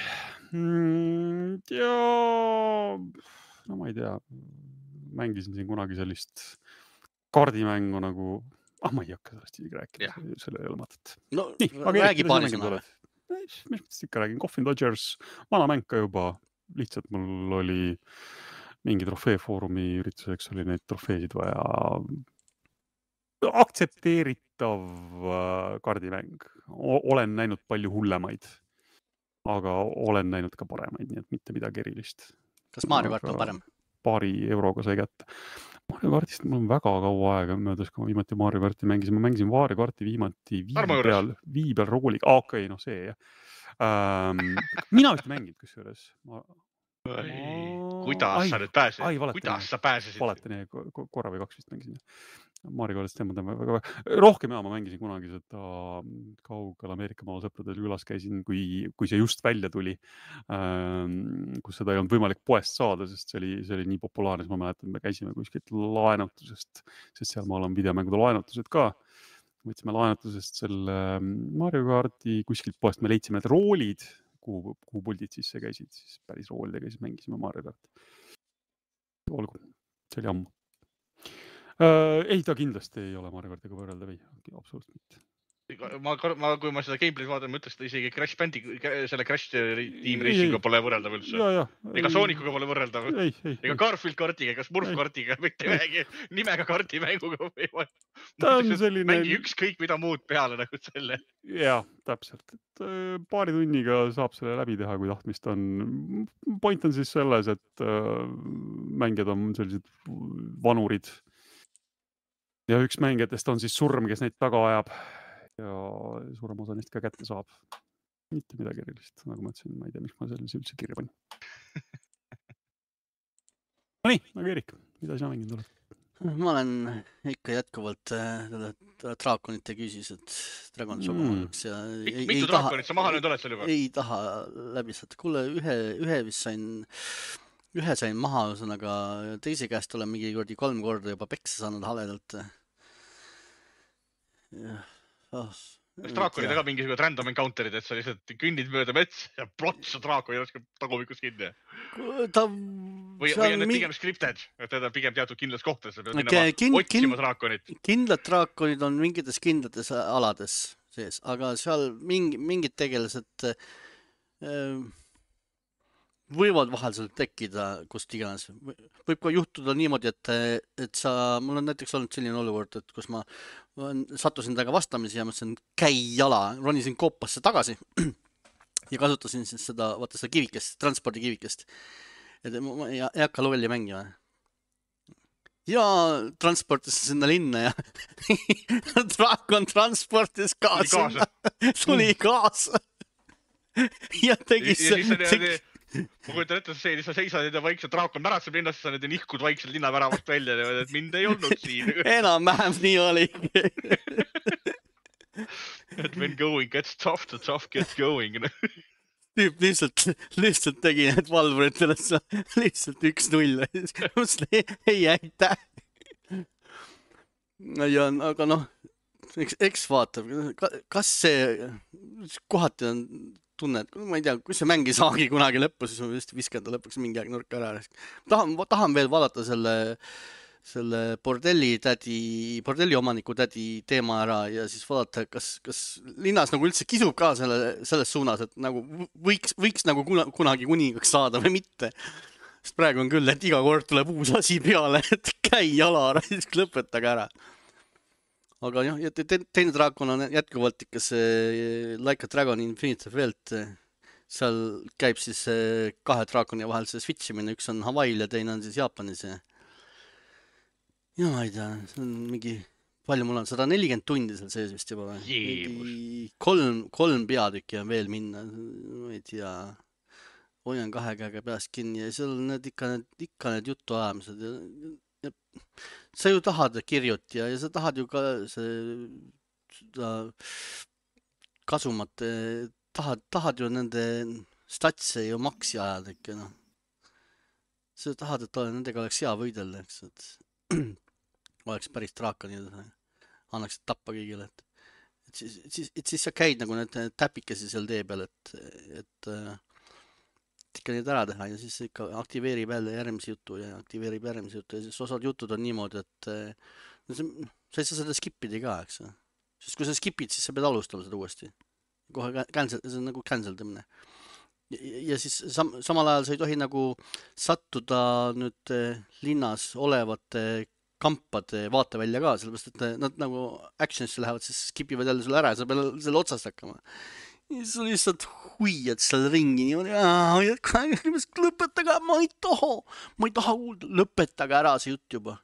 Ja no ma ei tea, mängisin siin kunagi sellist kaardimängu nagu, ma ei hakka sellest isegi rääkida, selle ei ole mõtet. No räägi paari sõna. Mis mõttes ikka räägin, Coffin Dodgers, vana mäng ka juba, lihtsalt mul oli mingi trofeefoorumi ürituseks oli neid trofeesid vaja. Aktsepteeritav kaardimäng. Olen näinud palju hullemaid. Aga olen näinud ka paremaid, nii et mitte midagi erilist. Kas Mario Kart on parem? Paari euroga sai kätte. Mario Kartist mul on väga kaua aega möödas, kui ma viimati Mario Karti mängisin. Ma mängisin Mario Karti viimati Vii peal roguliga. Okei, noh see jah. Mina vist mänginud kusjuures. Kuidas sa nüüd pääsesid? Kuidas sa pääsesid? Valetani, korra või 2 vist mängisin. Mario Kartist väga rohkem ma mängisin kunagi seda kaugel Ameerika maal sõpradel külas käisin, kui see just välja tuli, kus seda ei olnud võimalik poest saada, sest see oli nii populaarne, siis ma mäletan, me käisime kuskilt laenutusest, sest seal maal on videomängude laenutused ka. Võtsime laenutusest selle Mario Karti kuskilt poest, me leidsime need roolid, kuhu puldid sisse käisid, siis päris roolidega siis mängisime Mario Karti. Olgu, see oli ammu. Ei, ta kindlasti ei ole Mario Kartiga võrreldav, ei, absoluutselt mitte. Kui ma seda gameplay'd vaatan, ma ütles, et isegi selle Crash Team Racinguga pole võrreldav üldse. Ega Soonicuga pole võrreldav. Ega Garfield kartiga, ega Smurf kartiga, mitte ühegi nimega kartimänguga. Mängi ükskõik mida muud peale nagu selle. Jah, täpselt. Paari tunniga saab selle läbi teha, kui tahtmist on. Point on siis selles, et mängijad on sellised vanurid. Ja üks mängijatest on siis surm, kes neid taga ajab. Ja suurem osa neist ka kätte saab. Mitte midagi erilist, nagu ma ütlesin, ma ei tea, miks ma sellise üldse kirja panin. No nii, aga Erik, mida sina mänginud oled? Ma olen ikka jätkuvalt draakonite küsis, et Dragon Shogun'ks ja mitu draakonit sa maha nüüd oled seal juba? Ei taha läbi saada. Kuule, ühe vist sain ühe sain maha, ühesõnaga teise käest olen mingi 3 korda juba peksa saanud haledalt. Kas draakonid ka mingisugused random encounterid, et sa lihtsalt kõnnid mööda mets ja plots draakon jookskab tagumikus kinni? Või on need pigem scripted, et teda pigem teatud kindlas kohtades, sa pead minema otsima draakonit? Kindlad draakonid on mingites kindlates alades sees, aga seal mingid tegelased võivad vahel seal tekkida, kust iganes. Võib ka juhtuda niimoodi, et mul on näiteks olnud selline olukord, et kus ma sattusin temaga vastamisi ja mõtlesin käi jala, ronisin koopasse tagasi ja kasutasin siis seda kivikest, transpordikivikest. Et ma ei hakka lolli mängima. Ja transportisin sinna linna ja draakon transportis kaasa. Tuli kaasa. Ja tegi ma kujutan ette, see, sa seisad ja vaikselt draakon märatseb linnast, sa nihkud vaikselt linnaväravast välja, et mind ei olnud siin. Enam-vähem nii oli. Et when going gets tough, the tough gets going. Tüüp lihtsalt tegi need valvuritele, lihtsalt 1-0. Ei äita. Aga noh, eks vaatab, kas see kohati on tunne, et ma ei tea, kui see mäng ei saagi kunagi lõppu, siis ma vist viskan ta lõpuks mingi aeg nurka ära. Tahan veel vaadata selle bordelli omaniku tädi teema ära ja siis vaadata, kas linnas nagu üldse kisub ka selles suunas, et nagu võiks nagu kunagi kuningaks saada või mitte. Sest praegu on küll, et iga kord tuleb uus asi peale, et käi jala ära, siis lõpetage ära. Aga jah, teine draakon on jätkuvalt ikka see Like a Dragon Infinite Wealth. Seal käib siis 2 draakoni vahel see switchimine, üks on Hawaii'l ja teine on siis Jaapanis. Ja ma ei tea, see on mingi, palju mul on, 140 tundi seal sees vist juba. 3 peatükki on veel minna, ma ei tea, hoian 2 käega peast kinni ja seal on ikka need jutuajamised ja sa ju tahad kirjuti ja sa tahad ju ka seda kasumat, tahad ju nende statse ju maksi ajada ikka, noh. Sa tahad, et nendega oleks hea võidelda, eks, et oleks päris draakoni, annaksid tappa kõigile, et siis sa käid nagu need täpikesi seal tee peal, et ikka neid ära teha ja siis ikka aktiveerib jälle järgmise jutu ja siis osad jutud on niimoodi, et sa ei saa seda skipida ka, eks. Sest kui sa skipid, siis sa pead alustama seda uuesti. Kohe see on nagu cancel tõmne. Ja siis samal ajal sa ei tohi nagu sattuda nüüd linnas olevate kampade vaatevälja ka, sellepärast, et nad nagu actionisse lähevad, siis skipivad jälle sulle ära ja sa pead selle otsast hakkama. Ja siis lihtsalt huiad seal ringi niimoodi, lõpetage, ma ei taha kuulda, lõpetage ära see jutt juba.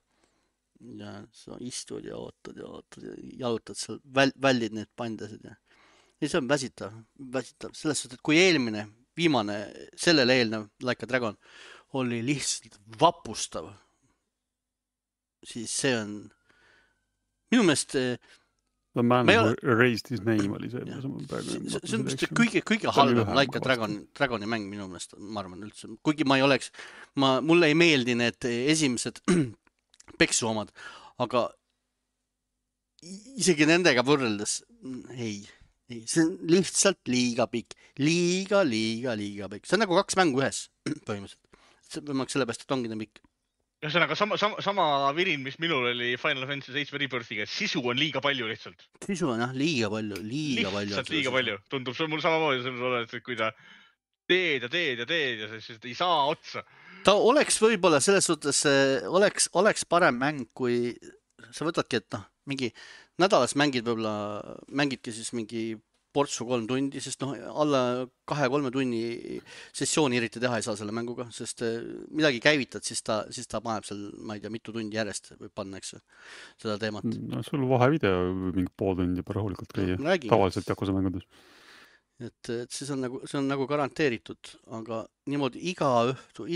Ja sa istud ja ootad ja jalutad seal, vällid need pandasid ja see on väsitav, selles suhtes, et kui viimane, sellele eelnev Like a Dragon oli lihtsalt vapustav, siis see on minu meelest The Man Who Erased His Name oli see. See on vist kõige halvem Like a Dragoni mäng minu meelest, ma arvan üldse. Kuigi mulle ei meeldi need esimesed peksu omad, aga isegi nendega võrreldes ei. See on lihtsalt liiga pikk. Liiga pikk. See on nagu 2 mängu ühes põhimõtteliselt. See võimaks selle pääst, et ongi pikk. Ühesõnaga, sama virin, mis minul oli Final Fantasy 7 Rebirthiga, sisu on liiga palju lihtsalt. Sisu on jah, liiga palju. Lihtsalt liiga palju. Tundub mul samamoodi, et kui ta teed ja siis ei saa otsa. Ta oleks võib-olla selles suhtes, oleks parem mäng, kui sa võtadki, et mingi nädalas mängidki siis mingi portsu 3 tundi, sest alla 2-3 tunni sessiooni eriti teha ei saa selle mänguga, sest midagi käivitad, siis ta paneb seal, ma ei tea, mitu tundi järjest võib panna, eks seda teemat. No sul vahevideo mingi pool tundi juba rahulikult käia, tavaliselt Yakuza mängudes. Et see on nagu garanteeritud, aga niimoodi iga õhtu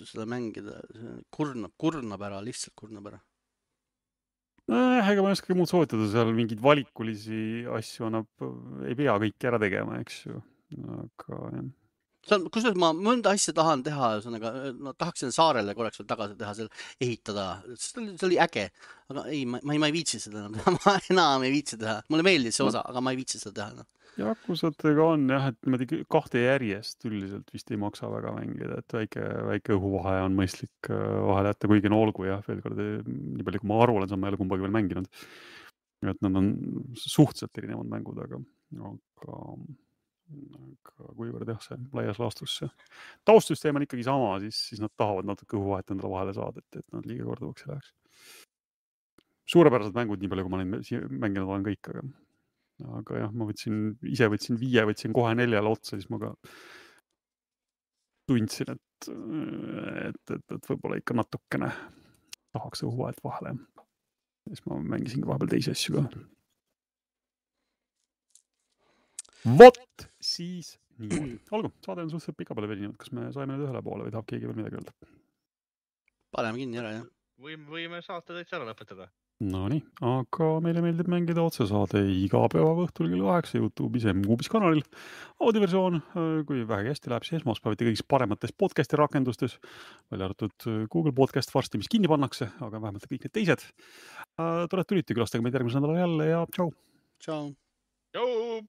seda mängida, kurnab ära, lihtsalt kurnab ära. Ega ma ei oska muud soovitada, seal mingeid valikulisi asju ei pea kõiki ära tegema, eks ju. Aga jah. kusjuures ma mõnda asja tahan teha, no tahaksin saarele korraks veel tagasi teha, seal ehitada, see oli äge, aga ei, ma ei viitsi seda enam teha, ma enam ei viitsi teha, mulle meeldis see osa, aga ma ei viitsi seda teha. No. Jakusatega on jah, et niimoodi 2 järjest üldiselt vist ei maksa väga mängida, et väike õhuvahe on mõistlik vahele jätta, kuigi no olgu jah, veel kord, nii palju kui ma aru olen, ma ei ole kumbagi veel mänginud. Et nad on suhteliselt erinevad mängud, aga kuivõrd jah, see laias laastus see taustsüsteem on ikkagi sama, siis nad tahavad natuke õhuvahet endale vahele saada, et nad liiga korduvaks ei läheks. Suurepärased mängud, nii palju kui ma neid mänginud olen kõik, aga jah, ma võtsin 5, võtsin kohe 4 otsa, siis ma ka tundsin, et võib-olla ikka natukene tahaks õhuvahet vahele. Siis ma mängisingi vahepeal teisi asju ka. Vot siis nii. Olgu, saade on suhteliselt pika peale veninud. Kas me saime nüüd ühele poole või tahab keegi veel midagi öelda? Paneme kinni ära, jah. Võime saate täitsa ära lõpetada. No nii, aga meile meeldib mängida otsesaade iga päeva õhtul kell 8 YouTube'is MQube'is kanalil. Audioversioon, kui vähegi hästi läheb, siis esmaspäeviti kõigis paremates podcasti rakendustes, välja arvatud Google Podcast varsti, mis kinni pannakse, aga vähemalt kõik need teised. Tulete külastage meid järgmisel nädalal jälle ja tšau! Tšau! Tšau!